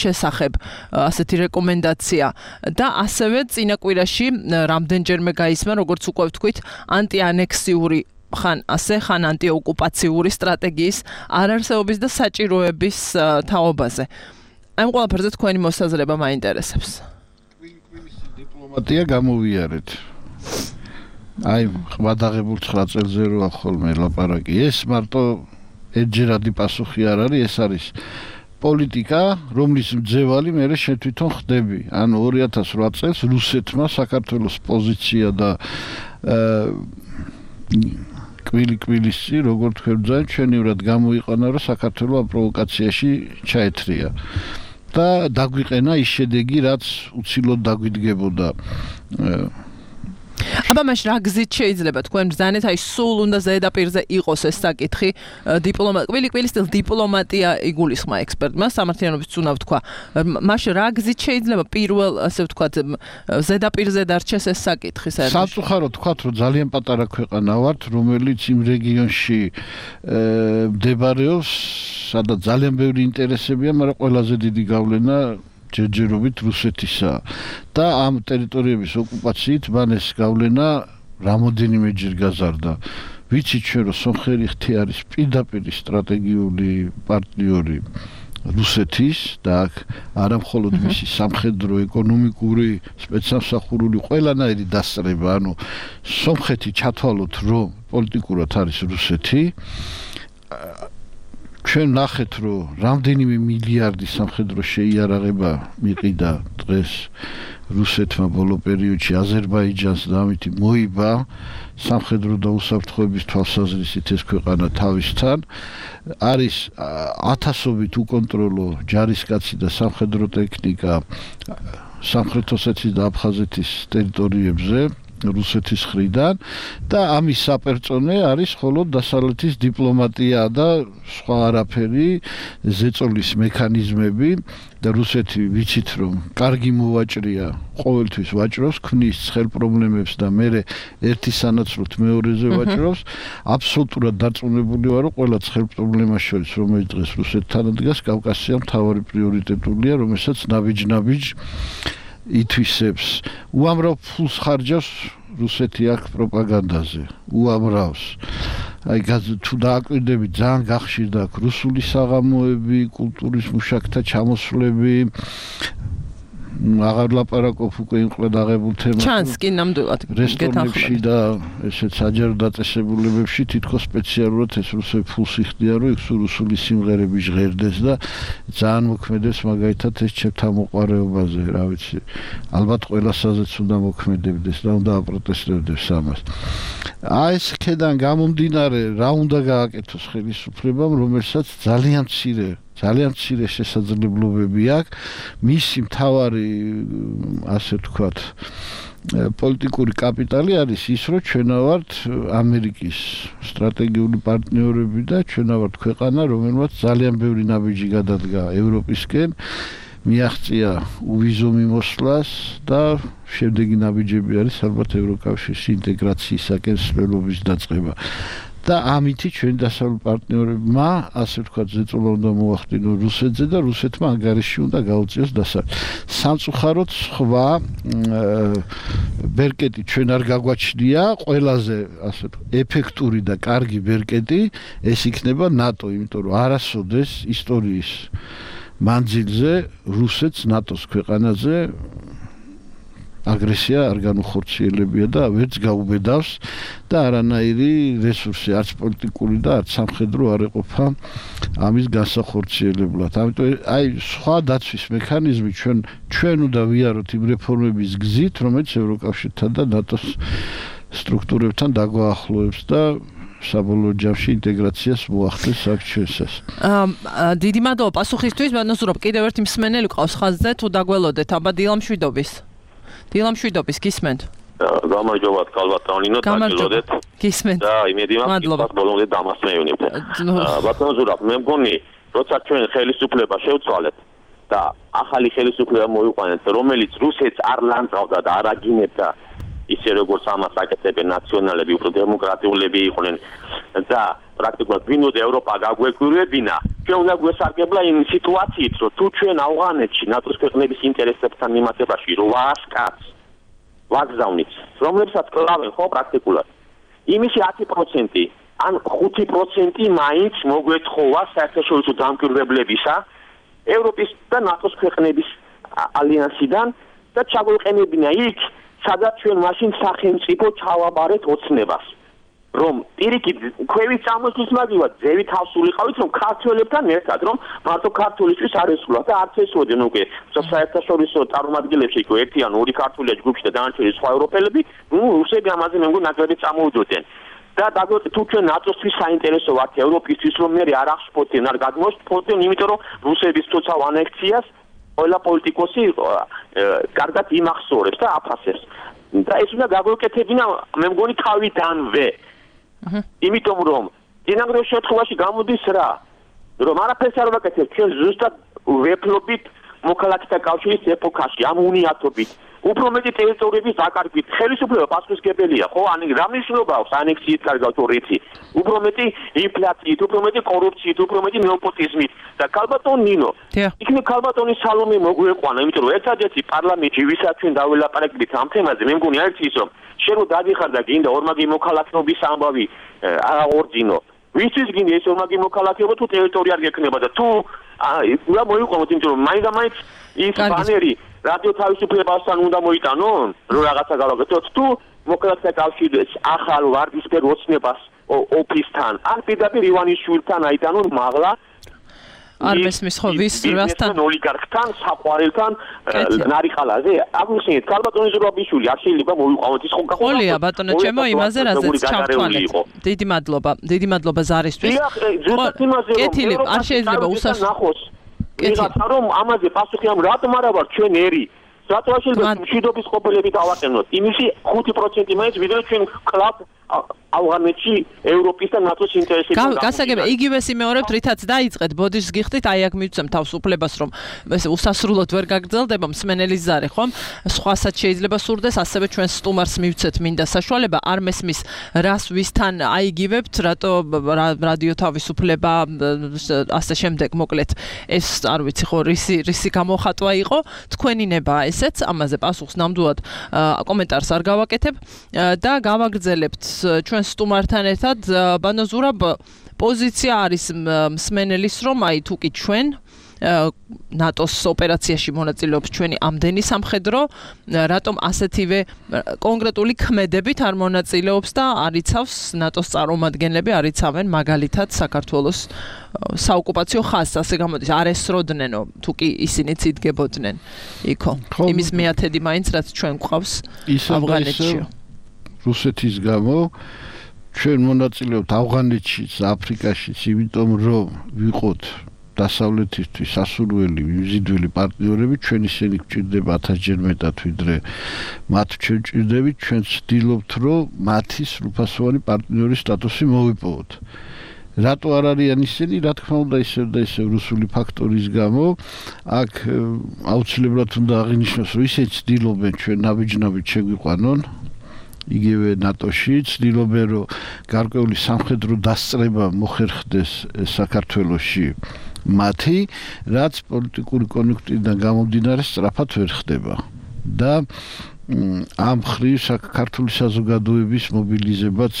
შესახებ ასეთი რეკომენდაცია და ასევე წინა კვირაში რამდენჯერმე გაისმა, როგორც უკვე ვთქვით, ანტიანექსიური ხან ასე ხან ანტიოკუპაციური სტრატეგიის არარსეობის და საჭიროების თაობაზე. ამ ყველაფერზე თქვენი მოსაზრება მაინტერესებს. დიპლომატია გამოვიარეთ. აი, ხვადაღებულ ცხრა წელზე როა ხოლმე ლაპარაკი. ეს მარტო ერთჯერადი პასუხი არ არის, ეს არის პოლიტიკა, რომლის მძევალი მე შე თვითონ ხდები. ანუ ორი ათას რვა წელს რუსეთმა საქართველოს პოზიცია და კვილი-კვილისი, როგორ თქვენ ბრძანეთ, ჩვენივრად გამოიყენა, რომ საქართველო ამ პროვოკაციაში ჩაეთრია. და დაგვიყენა ის შედეგი, რაც უცილოდ დაგვიდგებოდა. აბა მაშ რა გზით შეიძლება თქვენ ბრძანეთ, აი სულ უნდა ზედაპირზე იყოს ეს საკითხი დიპლომატ კვილი-კვილის წილ დიპლომატია იგულისხმა ექსპერტმა, სამართლიანობის უნდა ვთქვა. მაშ რა გზით შეიძლება პირველ ასე ვთქვათ ზედაპირზე დარჩეს ეს საკითხი საერთოდ? სამწუხაროდ ვთქვათ, რომ ძალიან პატარა ქვეყანა ვართ, რომელიც იმ რეგიონში მდებარეობს, სადაც ძალიან ბევრი ინტერესებია, მაგრამ ყველაზე დიდი გავლენა ჯერჯერობით რუსეთისა და ამ ტერიტორიების ოკუპაციით მან ეს გავლენა რამოდენიმეჯერ გაზარდა. ვიცით ჩვენ, რომ სომხერი ხთი არის პირდაპირ სტრატეგიული პარტნიორი რუსეთის და აქ არა მხოლოდ მისი სამხედრო, ეკონომიკური, სპეცსამსახურული ყველანაირი დასწრება, ანუ სომხეთი ჩათვალოთ, რომ პოლიტიკურად არის რუსეთი. ჩვენ ნახეთ, რომ რამდენიმე მილიარდი სამხედრო შეიარაღება მიყიდა დღეს რუსეთმა ბოლო პერიოდში აზერბაიჯანს და ამით მოიბა სამხედრო და უსაფრთხოების თვალსაზრისით ეს ქვეყანა თავისთან. არის ათასობით უკონტროლო ჯარისკაცი და სამხედრო ტექნიკა სამხრეთ ოსეთის და აფხაზეთის ტერიტორიებზე რუსეთის მხრიდან და ამის საპერწონე არის მხოლოდ დასავლეთის დიპლომატია და სხვა არაფერი, ზეწოლის მექანიზმები და რუსეთი ვიცით რომ კარგი მოვაჭრია, ყოველთვის ვაჭრობს, ქმნის ცხელ პრობლემებს და მე ერთი სანაცვლოდ მეორეზე ვაჭრობს. აბსოლუტურად დარწმუნებული ვარ, რომ ყველა ცხელ პრობლემას შორის, რომელიც დღეს რუსეთთან დგას, კავკასია მთავარი პრიორიტეტულია, რომელსაც ნაბიჯ-ნაბიჯ ითვისებს. უამრავ ფულს ხარჯავს რუსეთი აქ პროპაგანდაზე. უამრავს. აი თუ დააკვირდებით, ძალიან გახშირდა აქ რუსული საღამოები, კულტურის მუშაკთა ჩამოსვლები. აღარ ლაპარაკობ უკვე იმ ყედაღებულ თემას. ჩანს კი ნამდვილად რესტორნებში და ესეთ საჯარო დაწესებულებებში თითქოს სპეციალურად ეს რუსები ფულს იხდიან, რომ იქ რუსული სიმღერები ჟღერდეს და ძალიან მოქმედებს მაგალითად ეს ჩემთამოყვარეობაზე, რა ვიცი. ალბათ ყველასაზეც უნდა მოქმედებდეს და უნდა აპროტესტებდეს ამას. აი ეს ქედან გამომდინარე, რა უნდა გააკეთოს ხელისუფლებამ, რომელსაც ძალიან მცირე ძალიან მცირე შესაძლებლობები აქვს. მისი მთავარი, ასე ვთქვათ, პოლიტიკური კაპიტალი არის ის, რომ ჩვენა ვართ ამერიკის სტრატეგიული პარტნიორები და ჩვენა ვართ ქვეყანა, რომელმაც ძალიან ბევრი ნაბიჯი გადადგა ევროპისკენ, მიაღწია უვიზო მიმოსვლას და შემდეგი ნაბიჯები არის ალბათ ევროკავშირის ინტეგრაციისაკენ სრულობის დაწყება. და ამითი ჩვენი დასავლური პარტნიორებმა, ასე ვთქვათ, ზეწოლა უნდა მოახდინონ რუსეთზე და რუსეთმა ანგარიში უნდა გაუწიოს დასავლეთ. სამწუხაროდ სხვა ბერკეტი ჩვენ არ გაგვაჩნია, ყველაზე ასე ვთქვათ, ეფექტური და კარგი ბერკეტი ეს იქნება ნატო, იმიტომ რომ არასოდეს ისტორიის მანძილზე რუსეთს ნატოს ქვეყანაზე აგრესია არ განუხორციელებია და ვერც გაუბედავს და არანაირი რესურსი არც პოლიტიკური და არც სამხედრო არ ეყოფა ამის განსახორციელებლად. ამიტომ აი სხვა დაცვის მექანიზმი ჩვენ ჩვენ უნდა ვიაროთ იმ რეფორმების გზით, რომელიც ევროკავშირთან და ნატოს სტრუქტურებთან დაგვაახლოებს და საბოლოო ჯამში ინტეგრაციას მოახდენს აქ ჩვენსას. აა დიდი მადლობა პასუხისთვის. ბანოსურობ კიდევ ერთი მსმენელი ყავს ხაზზე, თუ დაგველოდეთ აბა დილამშვიდობის. დილამშვიდობის გისმენთ. გამარჯობათ კალბატონინო, დაგველოდეთ. გისმენთ. და იმედი მაქვს, ის ბოლომდე დამასწრებინებთ. ბატონზურაბ, მე მგონი, როცა ჩვენ ხელისუფლება შევცვალეთ და ახალი ხელისუფლება მოიყვანეთ, რომელიც რუსეთს არ ლანძღავდა და არ აგინებდა ისე როგორც ამას აკეთებენ ნაციონალები, უფრო დემოკრატიულები იყვნენ და პრაქტიკულად ვინოდა ევროპა გაგვეკვირვებინა, ჩვენ უნდა გვესარგებლა იმ სიტუაციით, რომ თუ ჩვენ ავღანეთში ნატოს ქვეყნების ინტერესებთან მიმართებაში რვას კაცს ვაგზავნით, რომლებსაც კლავენ ხო პრაქტიკულად, იმისი ათი პროცენტი ან ხუთი პროცენტი მაინც მოგვეთხოვა საერთაშორისო დამკვირვებლებისა ევროპის და ნატოს ქვეყნების ალიანსიდან და ჩაგვეყენებინა იქ სადაც ჩვენ მაშინ სახელმწიფო ჩავაბარეთ ოცნებას რომ პირიქით ქვევით წამოსვლის მაგივად ძევით ავსულიყავით რომ ქართველებთან ერთად რომ მარტო ქართულისთვის არ ესულა და არც ესვოდნენ უკვე საერთაშორისო წარმომადგენლებში იყო ერთი ან ორი ქართულია ჯგუფში და დანარჩენი სხვა ევროპელები ნუ რუსები ამაზე მე მგონი ნაკლები წამოუძოდნენ და დაგვეთ თუ ჩვენ ნატოსთვის საინტერესო ვართ ევროპისთვის რომ მე არ აღშფოთენ არ გადმოშფოთენ იმიტომ რომ რუსების თუცავ ანექციას ყველა პოლიტიკოსი კარგად იმახსოვრებს და აფასებს და ეს უნდა გაგვეკეთებინა მე მგონი თავიდანვე იმიტომ რომ წინაგროვ შემთხვევაში გამოდის რა რომ არაფერს არ ვაკეთებთ ჩვენ ზუსტად ვეფლობით მოქალაქეთა კავშირის ეპოქაში ამ უნიატობით უფრო მეტი ტერიტორიების დაკარგვით ხელისუფლება პასუხისმგებელია ხო ან რა მნიშვნელობა აქვს ანექსიით კარგავთ ორეთი უფრო მეტი ინფლაციით უფრო მეტი კორუფციით უფრო მეტი ნეოპოტიზმით და ქალბატონ ნინო იქნებ ქალბატონის სალომე მოგვეყვანა იმიტომ რომ ერთადერთი პარლამენტში ვისაც ჩვენ დაველაპარაკეთ ამ თემაზე მე მგონი არის ის რომ შენ რო დადიხარ და გინდა ორმაგი მოქალაქეობის ამბავი აღორძინო ვისთვის გინდა ეს ორმაგი მოქალაქეობა თუ ტერიტორია არ გექნება და თუ რა მოიყვანოთ იმიტომ რომ მაინდა მაინც ის ბანერი რადიო თავისუფლებასთან უნდა მოიტანონ რომ რაღაცა გავაკეთოთ თუ მოქალაქეთა კავშირის ახალ ვარდისფერ ოცნებას ოფისთან ან პირდაპირ ივანიშვილთან აიტანონ მაღლა არ მესმის ხო ვის რასთან ოლიგარქთან საყვარელთან ნარიყალაზე აგვიხსენეთ ქალბატონი ზურაბიშვილი არ შეიძლება მოიყვანოთ ის ხო ყოლია ბატონო ჩემო იმაზე რაზეც ჩავთვალეთ დიდი მადლობა დიდი მადლობა ზარისთვის კეთილი არ შეიძლება უსასრულო ვიღაცა რომ ამაზე პასუხი ამ რატომ არა ვარ ჩვენ ერი რატო არ შეიძლება მშვიდობის ყოფილები დავაყენოთ იმისი ხუთი პროცენტი მაინც ვიდრე ჩვენ კლუბ ავღანეთში ევროპის და ნატოს ინტერესებში გასაგებია იგივეს იმეორებთ რითაც დაიწყეთ ბოდიშს გიხდით აი აქ მივცემ თავისუფლებას რომ ეს უსასრულოდ ვერ გაგრძელდება მსმენელის ზარი ხომ სხვასაც შეიძლება სურდეს ასევე ჩვენ სტუმარს მივცეთ მინდა საშუალება არ მესმის რას ვისთან აიგივებთ რატო რადიო თავისუფლება ასე შემდეგ მოკლედ ეს არ ვიცი ხო რისი რისი გამოხატვა იყო თქვენი ნებაა ესეც ამაზე პასუხს ნამდვილად კომენტარს არ გავაკეთებ და გავაგრძელებთ ჩვენ სტუმართან ერთად ბანოზურაბ პოზიცია არის მსმენელის რომ აი თუ კი ჩვენ ნატოს ოპერაციაში მონაწილეობს ჩვენი ამდენი სამხედრო რატომ ასეთივე კონკრეტული ქმედებით არ მონაწილეობს და არიცავს ნატოს წარმომადგენლები არიცავენ მაგალითად საქართველოს საოკუპაციო ხაზს ასე გამოდის არ ესროდნენ თუ კი ისინიც იდგებოდნენ იქო იმის მეათედი მაინც რაც ჩვენ გვყავს ავღანეთში რუსეთის გამო ჩვენ მონაწილეობთ ავღანეთშიც, აფრიკაშიც, იმიტომ რომ ვიყოთ დასავლეთისთვის სასურველი, მიზიდველი პარტნიორები ჩვენ ისინი გვჭირდება ათასჯერ მეტად ვიდრე მათ ჩვენ ვჭირდებით, ჩვენ ვცდილობთ რომ მათი სრულფასოვანი პარტნიორის სტატუსი მოვიპოვოთ. რატო არ არიან ისინი? რა თქმა უნდა ისევ და ისევ რუსული ფაქტორის გამო აქ აუცილებლად უნდა აღინიშნოს რომ ისინი ცდილობენ ჩვენ ნაბიჯ-ნაბიჯ შეგვიყვანონ იგივე ნატოში ცდილობენ რომ გარკვეული სამხედრო დასწრება მოხერხდეს საქართველოში მათი რაც პოლიტიკური კონიუნქტურიდან გამომდინარე სწრაფად ვერ ხდება და ამ ხრივ საქართველოს საზოგადოების მობილიზებაც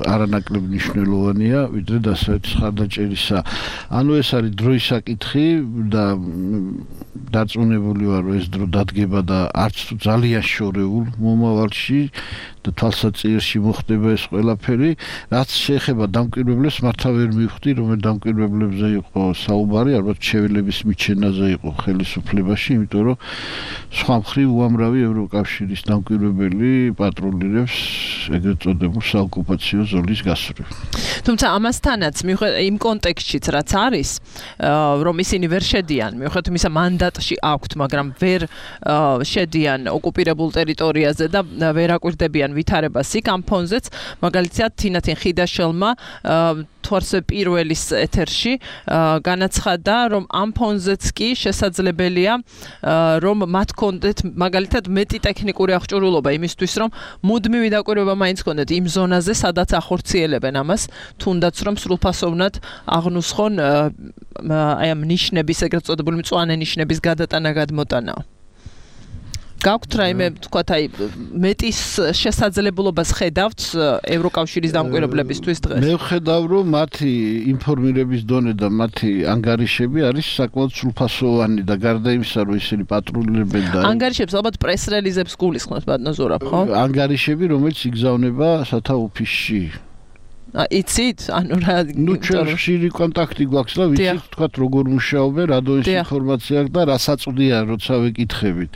არანაკლებ მნიშვნელოვანია ვიდრე დასავლეთის ხარდაჭერისა. ანუ ეს არის დროის საკითხი და დარწმუნებული ვარ რომ ეს დრო დადგება და არც თუ ძალიან შორეულ მომავალში და თვალსაჩინოში მოხდება ეს ყველაფერი, რაც შეეხება დამკვირვებლებს მართლა ვერ მივხვდი, რომელ დამკვირვებლებზე იყო საუბარი, ალბათ შეველების მიჩენაზე იყო ხელისუფლებაში, იმიტომ რომ სხვა მხრივ უამრავი ევროკავშირის დამკვირვებელი პატრულირებს ეგრეთ წოდებულ საოკუპაციო ზოლის გასწვრივ. თუმცა ამასთანაც იმ კონტექსტშიც რაც არის, რომ ისინი ვერ შედიან, მიუხედავად იმისა მანდატში აქვთ, მაგრამ ვერ შედიან ოკუპირებულ ტერიტორიაზე და ვერ აკვირდებიან ვითარებას იქ ამ ფონზეც, მაგალითად თინათინ ხიდაშელმა თვარსე პირველის ეთერში განაცხადა, რომ ამ ფონზეც კი შესაძლებელია რომ მათ კონდეთ მაგალითად მეტი ტექნიკური აღჭურვილობა იმისთვის, რომ მუდმივი დაკვირვება მაინც კონდეთ იმ ზონაზე, სადაც ახორციელებენ ამას, თუნდაც რომ სრულფასოვნად აღნუსხონ აი ამ ნიშნების, ეგრეთ წოდებული მწვანე ნიშნების გადატანა გადმოტანა. გაქვთ რაიმე თქვათ აი მეტის შესაძლებლობას ხედავთ ევროკავშირის დამკვირვებლებისთვის დღეს? მე ვხედავ რომ მათი ინფორმირების დონე და მათი ანგარიშები არის საკმაოდ სრულფასოვანი და გარდა იმისა რომ ისინი პატრულირებენ და ანგარიშებს ალბათ პრეს-რელიზებს გულისხმობთ ბატონო ზურაბ, ხო? ანგარიშები რომელიც იგზავნება სათა ოფისში. იცით? ანუ რა ნუ ჩვენ ხშირი კონტაქტი გვაქვს და ვიცით თქვათ როგორ მუშაობენ, რადოის ინფორმაცია აქვს და რა საწვდია როცა ვეკითხებით.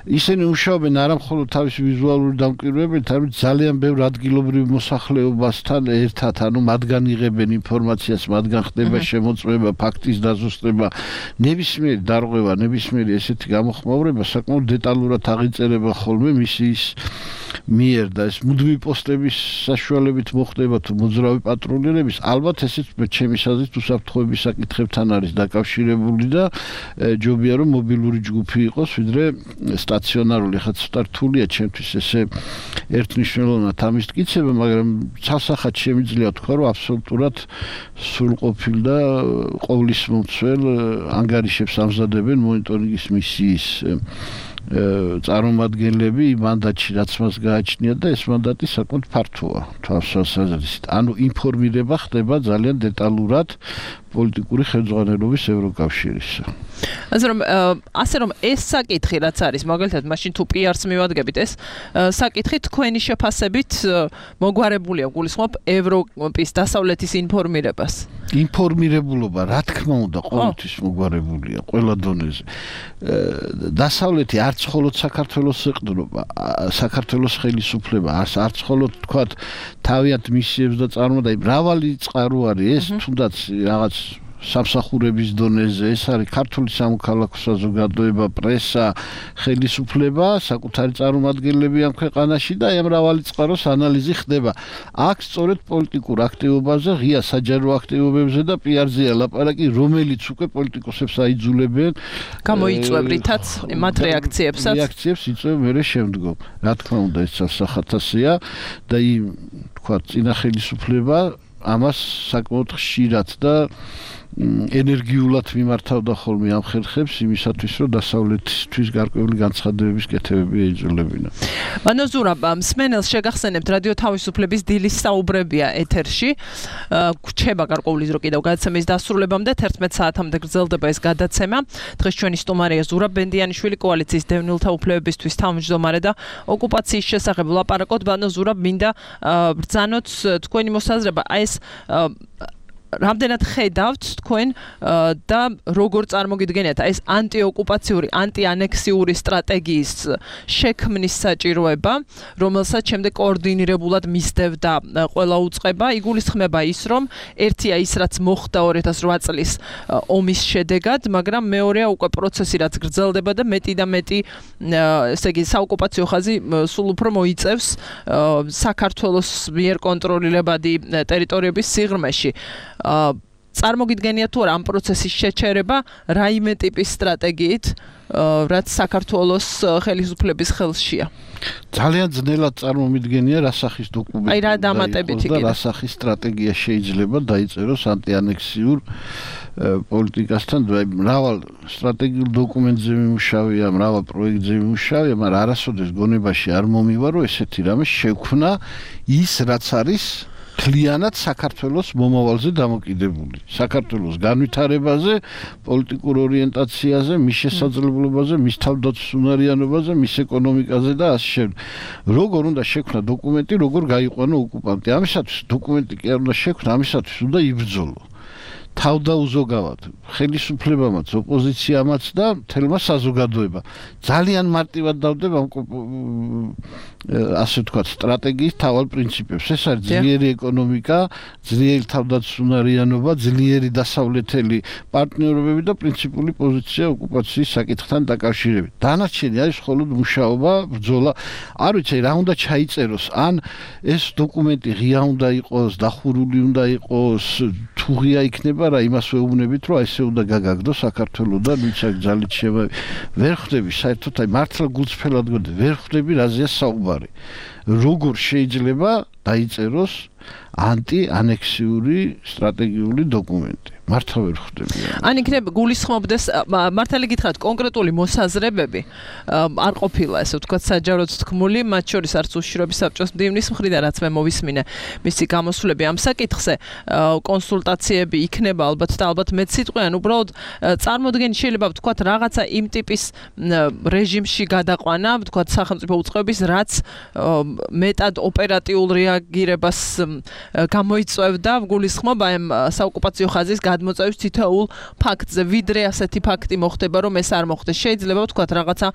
ისინი მუშაობენ არა მხოლოდ თავისი ვიზუალური დამკვირვებლებით, არამედ ძალიან ბევრ ადგილობრივ მოსახლეობასთან ერთად, ანუ მათგან იღებენ ინფორმაციას, მათგან ხდება შემოწმება, ფაქტის დაზუსტება, ნებისმიერი დარღვევა, ნებისმიერი ესეთი გამოხმაურება საკმაოდ დეტალურად აღიწერება ხოლმე მისიის მიერ და ეს მუდმივი პოსტების საშუალებით მოხდება თუ მოძრავი პატრულირების, ალბათ ესეც ჩემი აზრით უსაფრთხოების საკითხებთან არის დაკავშირებული და ჯობია რომ მობილური ჯგუფი იყოს, ვიდრე სტაციონარული. ხა ცოტა რთულია ჩემთვის ესე ერთნიშნულოვნად ამის მტკიცება, მაგრამ ცალსახად შემიძლია თქვა, რომ აბსოლუტურად სრულყოფილ და ყოვლის მომცველ ანგარიშებს ამზადებენ მონიტორინგის მისიის წარმომადგენლები მანდატში რაც მას გააჩნია და ეს მანდატი საკმაოდ ფართოა თვალსაზრისით. ანუ ინფორმირება ხდება ძალიან დეტალურად პოლიტიკური ხელმძღვანელობის ევროკავშირისა. ასე რომ ასე რომ ეს საკითხი რაც არის, მაგალითად მაშინ თუ პი არს მივადგებით, ეს საკითხი თქვენი შეფასებით მოგვარებულია, გულისხმობ ევროპის დასავლეთის ინფორმირებას. ინფორმირებულობა რა თქმა უნდა ყოველთვის მოგვარებულია ყველა დონეზე. დასავლეთი არც მხოლოდ საქართველოს ეყრდნობა, საქართველოს ხელისუფლება, არც მხოლოდ თქვათ თავიანთ მისიებს და წარმოდა, მრავალი წყარო არის ეს, თუნდაც რაღაც სამსახურების დონეზე, ეს არის ქართული სამოქალაქო საზოგადოება, პრესა, ხელისუფლება, საკუთარი წარმომადგენლები ამ ქვეყანაში და ამ მრავალი წყაროს ანალიზი ხდება. აქ სწორედ პოლიტიკურ აქტივობაზე, ღია საჯარო აქტივობებზე და პი არზეა ლაპარაკი, რომელიც უკვე პოლიტიკოსებს აიძულებენ გამოიწვევრითაც მათ რეაქციებსაც. რეაქციებს იწვევ მერე შემდგომ. რა თქმა უნდა, ეს სახათასია და იმ თქვა წინა ხელისუფლება ამას საკმაოდ ხშირად და ენერგიულად მიმართავდა ხოლმე ამ ხერხებს იმისათვის, რომ დასავლეთისთვის გარკვეული განცხადებების კეთებები ეიძულებინა. ბანო ზურაბ, მსმენელს შეგახსენებთ რადიო თავისუფლების დილის საუბრებია ეთერში. გვჩება გარკვეული დრო კიდევ გადაცემის დასრულებამდე თერთმეტ საათამდე გრძელდება ეს გადაცემა. დღეს ჩვენი სტუმარია ზურაბ ბენდიანიშვილი, კოალიციის დევნილთა უფლებებისთვის თავმჯდომარე და ოკუპაციის შესახებ ვლაპარაკოთ. ბანო ზურაბ, მინდა ბრძანოთ თქვენი მოსაზრება, აი ეს რამდენად ხედავთ თქვენ და როგორ წარმოგიდგენიათ ეს ანტიოკუპაციური, ანტიანექსიური სტრატეგიის შექმნის საჭიროება, რომელსაც შემდეგ კოორდინირებულად მისდევდა ყველა უწყება, იგულისხმება ის, რომ ერთია ის, რაც მოხდა ორი ათას ოთხ წლის ომის შედეგად, მაგრამ მეორეა უკვე პროცესი, რაც გრძელდება და მეტი და მეტი, ესე იგი, საოკუპაციო ხაზი სულ უფრო მოიწევს საქართველოს მიერ კონტროლირებადი ტერიტორიების სიღრმეში. წარმოგიდგენია თუ არა ამ პროცესის შეჩერება რაიმე ტიპის სტრატეგიით, რაც საქართველოს ხელისუფლების ხელშია. ძალიან ძნელად წარმომიდგენია რა სახის დოკუმენტი. აი რა დამატებითი და რა სახის სტრატეგია შეიძლება დაიწეროს ანტიანექსიურ პოლიტიკასთან. მრავალ სტრატეგიულ დოკუმენტზე მიმუშავია, მრავალ პროექტზე მიმუშავია, მაგრამ არასოდეს გონებაში არ მომივა, რომ ესეთი რამე შექმნა ის, რაც არის მთლიანად საქართველოს მომავალზე დამოკიდებული. საქართველოს განვითარებაზე, პოლიტიკურ ორიენტაციაზე, მის შესაძლებლობაზე, მის თავდაცვის უნარიანობაზე, მის ეკონომიკაზე და ასე შემდეგ. როგორ უნდა შექმნა დოკუმენტი, როგორ გაიყვანო ოკუპანტი. ამისათვის დოკუმენტი კი არ უნდა შექმნა, ამისათვის უნდა იბრძოლო. თავდაუზოგავად ხელისუფლებამაც, ოპოზიციამაც და მთელმა საზოგადოებამ. ძალიან მარტივად დავდება ასე ვთქვათ, სტრატეგიის თავალ პრინციპებს. ეს არის ძლიერი ეკონომიკა, ძლიერი თავდაცვის უნარიანობა, ძლიერი დასავლეთელი პარტნიორობები და პრინციპული პოზიცია ოკუპაციის საკითხთან დაკავშირებით. დანარჩენი არის მხოლოდ მუშაობა, ბრძოლა. არ ვიცი რა უნდა ჩაიწეროს, ან ეს დოკუმენტი ღია უნდა იყოს, დახურული უნდა იყოს, თუ ღია იქნება რა იმას ვეუბნებით, რომ ესე უნდა გაგაგდო საქართველოსთან, ვინც აქ ძალით შევა. ვერ ხვდები საერთოდ აი მართლა გულწრფელად გონდა, ვერ ხვდები რაზეა საუბარი. როგორ შეიძლება დაიწეროს ანტიანექსიური სტრატეგიული დოკუმენტი. მართლა ვერ ხვდები. ან იქნება გულისხმობდეს მართალი გითხრათ კონკრეტული მოსაზრებები არ ყოფილა ესე ვთქვათ საჯაროდ თქმული, მათ შორის არც უშიშროების საბჭოს მდივნის მხრიდან, რაც მე მოვისმინე მისი გამოსვლები ამ საკითხზე, კონსულტაციები იქნება ალბათ და ალბათ მეც სიტყვიან, უბრალოდ წარმოდგენი შეიძლება ვთქვათ რაღაცა იმ ტიპის რეჟიმში გადაყვანა, ვთქვათ სახელმწიფო უწყებების, რაც მეტად ოპერატიულ რეაგირებას გამოიწვევდა, გულისხმობა ამ საოკუპაციო ხაზის გადმოწევის თითოეულ ფაქტზე, ვიდრე ასეთი ფაქტი მოხდება, რომ ეს არ მოხდეს. შეიძლება ვთქვათ რაღაცა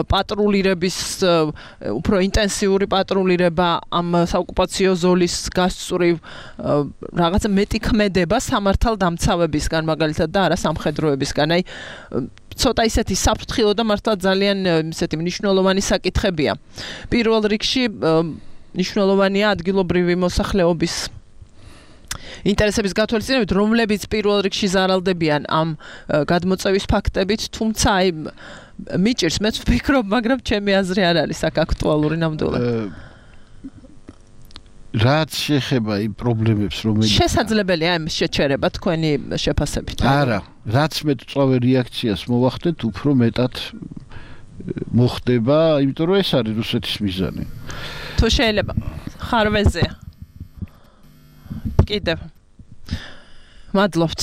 პატრულირების, უფრო ინტენსიური პატრულირება ამ საოკუპაციო ზოლის გასწვრივ, რაღაცა მეტი ქმედება სამართალდამცავებისგან, მაგალითად და არა სამხედროებისგან. აი ცოტა ისეთი საფრთხილო და მართლა ძალიან ისეთი მნიშვნელოვანი საკითხებია. პირველ რიგში მნიშვნელოვანია ადგილობრივი მოსახლეობის ინტერესების გათვალისწინებით, რომლებიც პირველ რიგში ზარალდებიან ამ გადმოწევის ფაქტებით, თუმცა აი მიჭირს მეც ვფიქრობ, მაგრამ ჩემი აზრი არ არის აქ აქტუალური ნამდვილად. რაც შეეხება იმ პრობლემებს, რომელიც შესაძლებელია ამ შეჩერება თქვენი შეფასებით. არა, რაც მეტ წავე რეაქციას მოვახდეთ, უფრო მეტად მოხდება, იმიტომ რომ ეს არის რუსეთის მიზანი. თუ შეიძლება ხარვეზია კიდევ მადლობთ.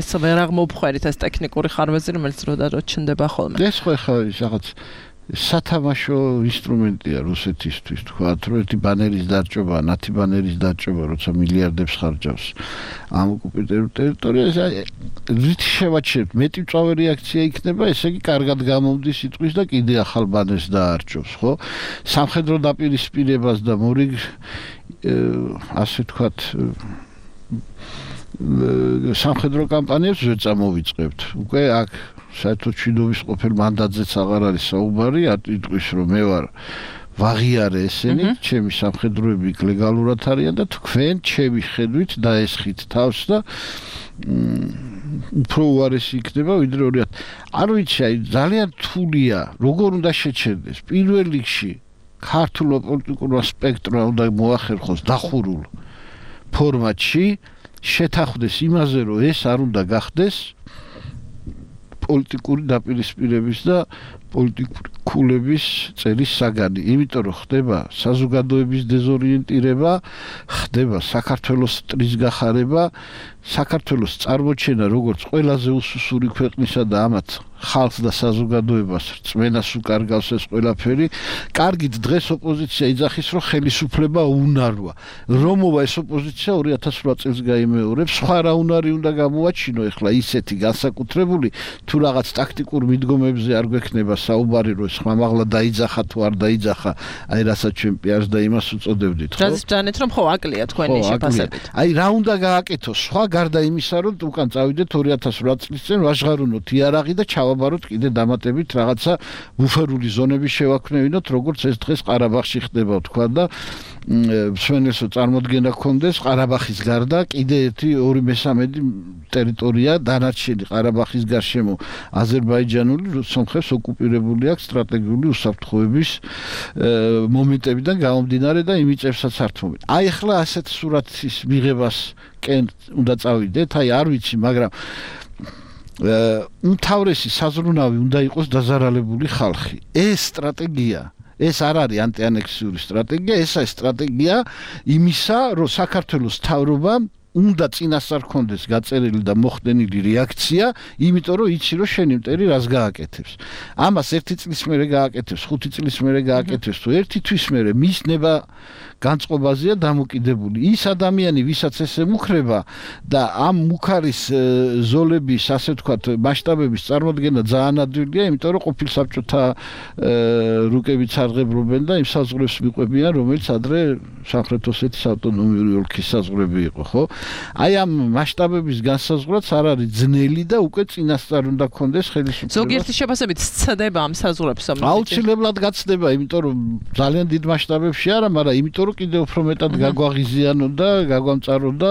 ეს ვერ აღმოფხვერით ეს ტექნიკური ხარვეზი, რომელიც რო და რო ჩნდება ხოლმე. ეს ხო ხა რაღაც სათამაშო ინსტრუმენტია რუსეთისთვის, თქვათ, რომ ერთი ბანერის დაჭრობა, ნათი ბანერის დაჭრობა, როცა მილიარდებს ხარჯავს ამ ოკუპირებულ ტერიტორიაზე, რით შევაჩერებთ, მეტი მწვავე რეაქცია იქნება, ესე იგი კარგად გამომდის სიტყვის და კიდე ახალ ბანერს დაარჩევს, ხო? სამხედრო დაპირისპირებას და მორიგ ასე ვთქვათ სამხედრო კამპანიებს ვერ წამოვიწყებთ. უკვე აქ საერთოდ მშვიდობის ყოფილ მანდატზეც აღარ არის საუბარი, ატიტყვის რომ მე ვარ ვაღიარე ესენი, ჩემი სამხედროები ლეგალურად არიან და თქვენ ჩემი ხედვით დაესხით თავს და უფრო უარესი იქნება ვიდრე ორი ათი. არ ვიცი, აი ძალიან რთულია, როგორ უნდა შეჩერდეს. პირველ რიგში ქართულ პოლიტიკურ სპექტრმა უნდა მოახერხოს დახურულ ფორმატში, შეთანხმდეს იმაზე, რომ ეს არ უნდა გახდეს პოლიტიკური დაპირისპირების და პოლიტიკური ქულების წერის საგანი, იმიტომ რომ ხდება საზოგადოების დეზორიენტირება, ხდება საქართველოს ტრის გახარება, საქართველოს წარმოჩენა როგორც ყველაზე უსუსური ქვეყნისა და ამათ ხალხს და საზოგადოებას რწმენას უკარგავს ეს ყველაფერი. კარგით დღეს ოპოზიცია იძახის, რომ ხელისუფლება უნაროა. რომოვა ეს ოპოზიცია ორი ათას რვა წელს გაიმეორებს, სხვა რა უნარი უნდა გამოაჩინო ეხლა ისეთი განსაკუთრებული თუ რაღაც ტაქტიკურ მიდგომებზე არ გვექნება საუბარი, რომ სხვა მაღლა დაიძახა თუ არ დაიძახა, აი რასაც ჩვენ პიარს და იმას უწოდებდით, ხო? რაზეც ჯანეთ რომ ხო აკლია თქვენი შეფასებით. აი რა უნდა გააკეთოს სხვა გარდა იმისა, რომ უკან წავიდეთ ორი ათას რვა წლის წინ ვაჟღარუნოთ იარაღი და ჩავაბაროთ კიდე დამატებით რაღაცა ბუფერული ზონები შევაქმნევინოთ, როგორც ეს დღეს ყარაბაღში ხდება, თქვა და მსვენელსო წარმოდგენა გქონდეს ყარაბაღის გარდა კიდე ერთი ორი მესამედი ტერიტორია დანარჩენი ყარაბაღის გარშემო აზერბაიჯანული სომხებს ოკუპირებული აქვს სტრატეგიული უსაფრთხოების მომენტებიდან გამომდინარე და იმიწევსაც ართმობენ. აი ახლა ასეთ სურათის მიღებას კენ უნდა წავიდეთ, აი არ ვიცი, მაგრამ უმთავრესი საზრუნავი უნდა იყოს დაზარალებული ხალხი. ეს სტრატეგია ეს არ არის ანტიანექსიური სტრატეგია, ესაა სტრატეგია იმისა, რომ საქართველოს მთავრობამ უნდა წინასწარ ქონდეს გაწერილი და მოხდენილი რეაქცია, იმიტომ რომ იცი რომ შენი მტერი რას გააკეთებს. ამას ერთი წლის მერე გააკეთებს, ხუთი წლის მერე გააკეთებს თუ ერთი თვის მერე მის ნება განწყობაზეა დამოკიდებული. ის ადამიანი, ვისაც ეს ემუქრება და ამ მუქარის ზოლების, ასე ვთქვათ, მასშტაბების წარმოდგენა ძალიან ადვილია, იმიტომ რომ ყოფილ საბჭოთა რუკებით სარღებობენ და იმ საზღვრებს მიყვებიან, რომელიც ადრე სამხრეთ ოსეთის ავტონომიური ოლქის საზღვრები იყო, ხო? აი ამ მასშტაბების განსაზღვრაც არ არის ძნელი და უკვე წინასწარ უნდა გქონდეს ხელისუფლება. ზოგიერთი შეფასებით სცდება ამ საზღვრებს ამ აუცილებლად გაცდება, იმიტომ რომ ძალიან დიდ მასშტაბებში არა, მაგრამ იმიტომ რომ კიდევ უფრო მეტად გაგვაღიზიანო და გაგვამწარო და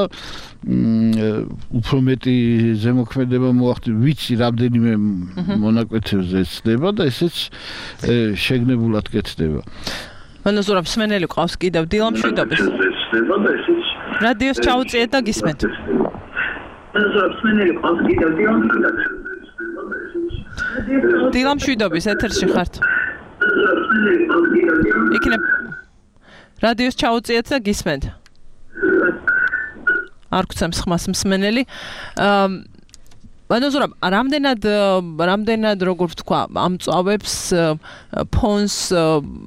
უფრო მეტი ზემოქმედება მოახდინა, ვიცი რამდენიმე მონაკვეთებზე ეცდება და ესეც შეგნებულად კეთდება. მანოზურაბ სმენელი ყავს კიდევ დილამშვიდობის. რადიოს ჩაუწიეთ და გისმენთ. მანოზურაბ სმენელი ყავს კიდევ დილამშვიდობის. დილამშვიდობის ეთერში ხართ. იქნებ რადიოს ჩაუწიეთ და გისმენთ. არ გცემს ხმას მსმენელი. მანოზურაბ, რამდენად რამდენად როგორ ვთქვა, ამწავებს ფონს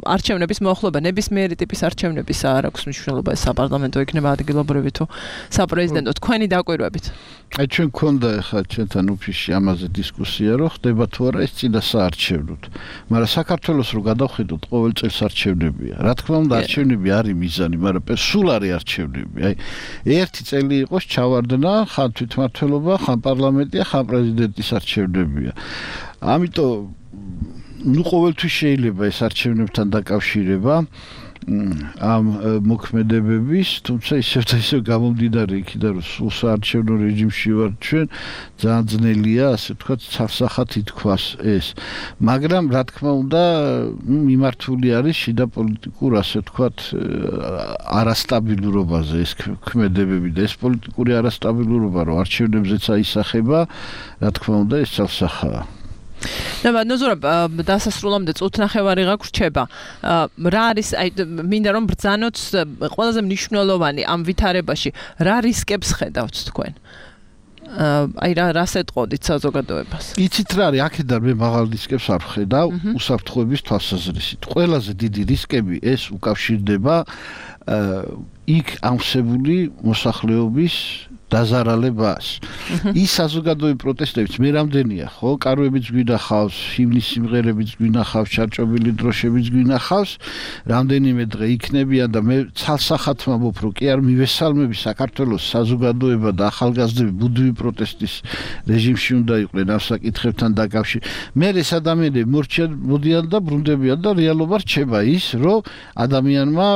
არჩევნების მოახლოება, ნებისმიერი ტიპის არჩევნების არ აქვს მნიშვნელობა, საპარლამენტო იქნება ადგილობრივი თუ საპრეზიდენტო, თქვენი დაკვირვებით. აი ჩვენ გქონდა ახლა ჩვენთან ოფისში ამაზე დისკუსია, რომ ხდება თუ არა ეს წინა საარჩევნოდ. მაგრამ საქართველოს რო გადავხედოთ, ყოველ წელს არჩევნებია. რა თქმა უნდა, არჩევნები არის მიზანი, მაგრამ სულ არის არჩევნები. აი ერთი წელი იყოს ჩავარდნა, ხან თვითმმართველობა, ხან პარლამენტია, ხან პრეზიდენტის არჩევნებია. ამიტომ ნუ ყოველთვის შეიძლება ეს არჩევნებთან დაკავშირება ამ მოქმედებების, თუმცა ისევ და ისევ გამომდინარე იქიდან რომ სულ საარჩევნო რეჟიმში ვართ ჩვენ, ძალიან ძნელია, ასე ვთქვათ, ცალსახად ითქვას ეს. მაგრამ რა თქმა უნდა, მიმართული არის შიდა პოლიტიკურ, ასე ვთქვათ, არასტაბილურობაზე ეს ქმედებები და ეს პოლიტიკური არასტაბილურობა, რომ არჩევნებზეც აისახება, რა თქმა უნდა, ეს ცალსახაა. და მანოზურაბ დასასრულამდე წუთნახევარი გაგვრჩება. რა არის, აი მინდა რომ ბრძანოთ ყველაზე მნიშვნელოვანი ამ ვითარებაში, რა რისკებს ხედავთ თქვენ? აი რა რას ეტყოდით საზოგადოებას? იცით რა არის, აქედან მე მაღალ რისკებს არ ვხედავ უსაფრთხოების თვალსაზრისით. ყველაზე დიდი რისკები ეს უკავშირდება იქ ამსებული მოსახლეობის დაზარალებას. ის საზოგადოებრივი პროტესტებიც მე რამდენია, ხო? კარვებიც გვინახავს, ჰიმნის სიმღერებიც გვინახავს, ჩარჭობილი დროშებიც გვინახავს, რამდენიმე დღე იქნებიან და მე ცალსახად ვამბობ, რომ კი არ მივესალმები საქართველოს საზოგადოება და ახალგაზრდები ბუდივი პროტესტის რეჟიმში უნდა იყვნენ ამ საკითხებთან დაკავშირებით. მე ეს ადამიანები მორჩიან, მოდიან და ბრუნდებიან და რეალობა რჩება ის, რომ ადამიანმა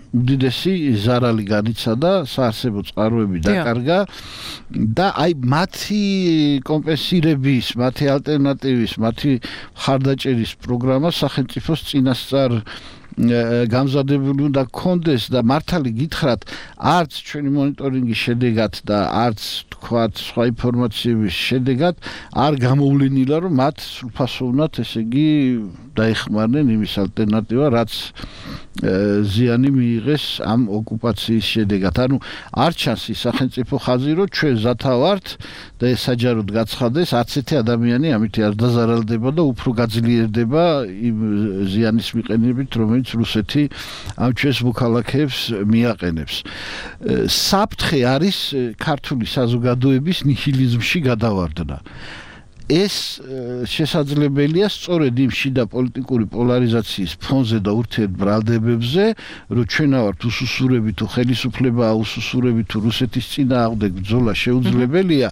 უდიდესი ზარალი განიცადა, საარსებო წყაროები დაკარგა და აი მათი კომპენსირების, მათი ალტერნატივის, მათი მხარდაჭერის პროგრამა სახელმწიფოს წინასწარ გამზადებული უნდა გქონდეს და მართალი გითხრათ, არც ჩვენი მონიტორინგის შედეგად და არც თქვათ სხვა ინფორმაციების შედეგად არ გამოვლენილა, რომ მათ სრულფასოვნად, ესე იგი, დაეხმარნენ იმის ალტერნატივა, რაც ზიანი მიიღეს ამ ოკუპაციის შედეგად. ანუ არ ჩანს ის სახელმწიფო ხაზი, რომ ჩვენ ზათა ვართ და ეს საჯაროდ გაცხადეს, არც ერთი ადამიანი ამით არ დაზარალდება და უფრო გაძლიერდება იმ ზიანის მიყენებით, რომელიც რუსეთი ამ ჩვენს მოქალაქეებს მიაყენებს. საფრთხე არის ქართული საზოგადოების ნიჰილიზმში გადავარდნა. ეს შესაძლებელია სწორედ იმ შიდა პოლიტიკური პოლარიზაციის ფონზე და ურთიერთბრალდებებზე, რომ ჩვენა ვართ უსუსურები თუ ხელისუფლებაა უსუსურები თუ რუსეთის წინააღმდეგ ბრძოლა შეუძლებელია,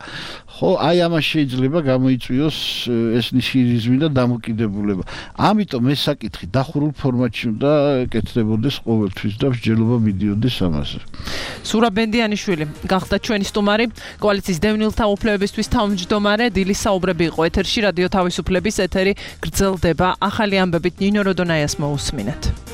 ხო, აი ამას შეიძლება გამოიწვიოს ეს ნიჰილიზმი და დამოკიდებულება. ამიტომ ეს საკითხი დახურულ ფორმატში უნდა კეთდებოდეს ყოველთვის და მსჯელობა მიდიოდეს ამაზე. სურაბ ბენდიანიშვილი გახდა ჩვენი სტუმარი, კოალიციის დევნილთა უფლებებისთვის თავმჯდომარე, დილის საუბრები იყო ეთერში, რადიო თავისუფლების ეთერი გრძელდება. ახალი ამბებით ნინო როდონაიას მოусმინეთ.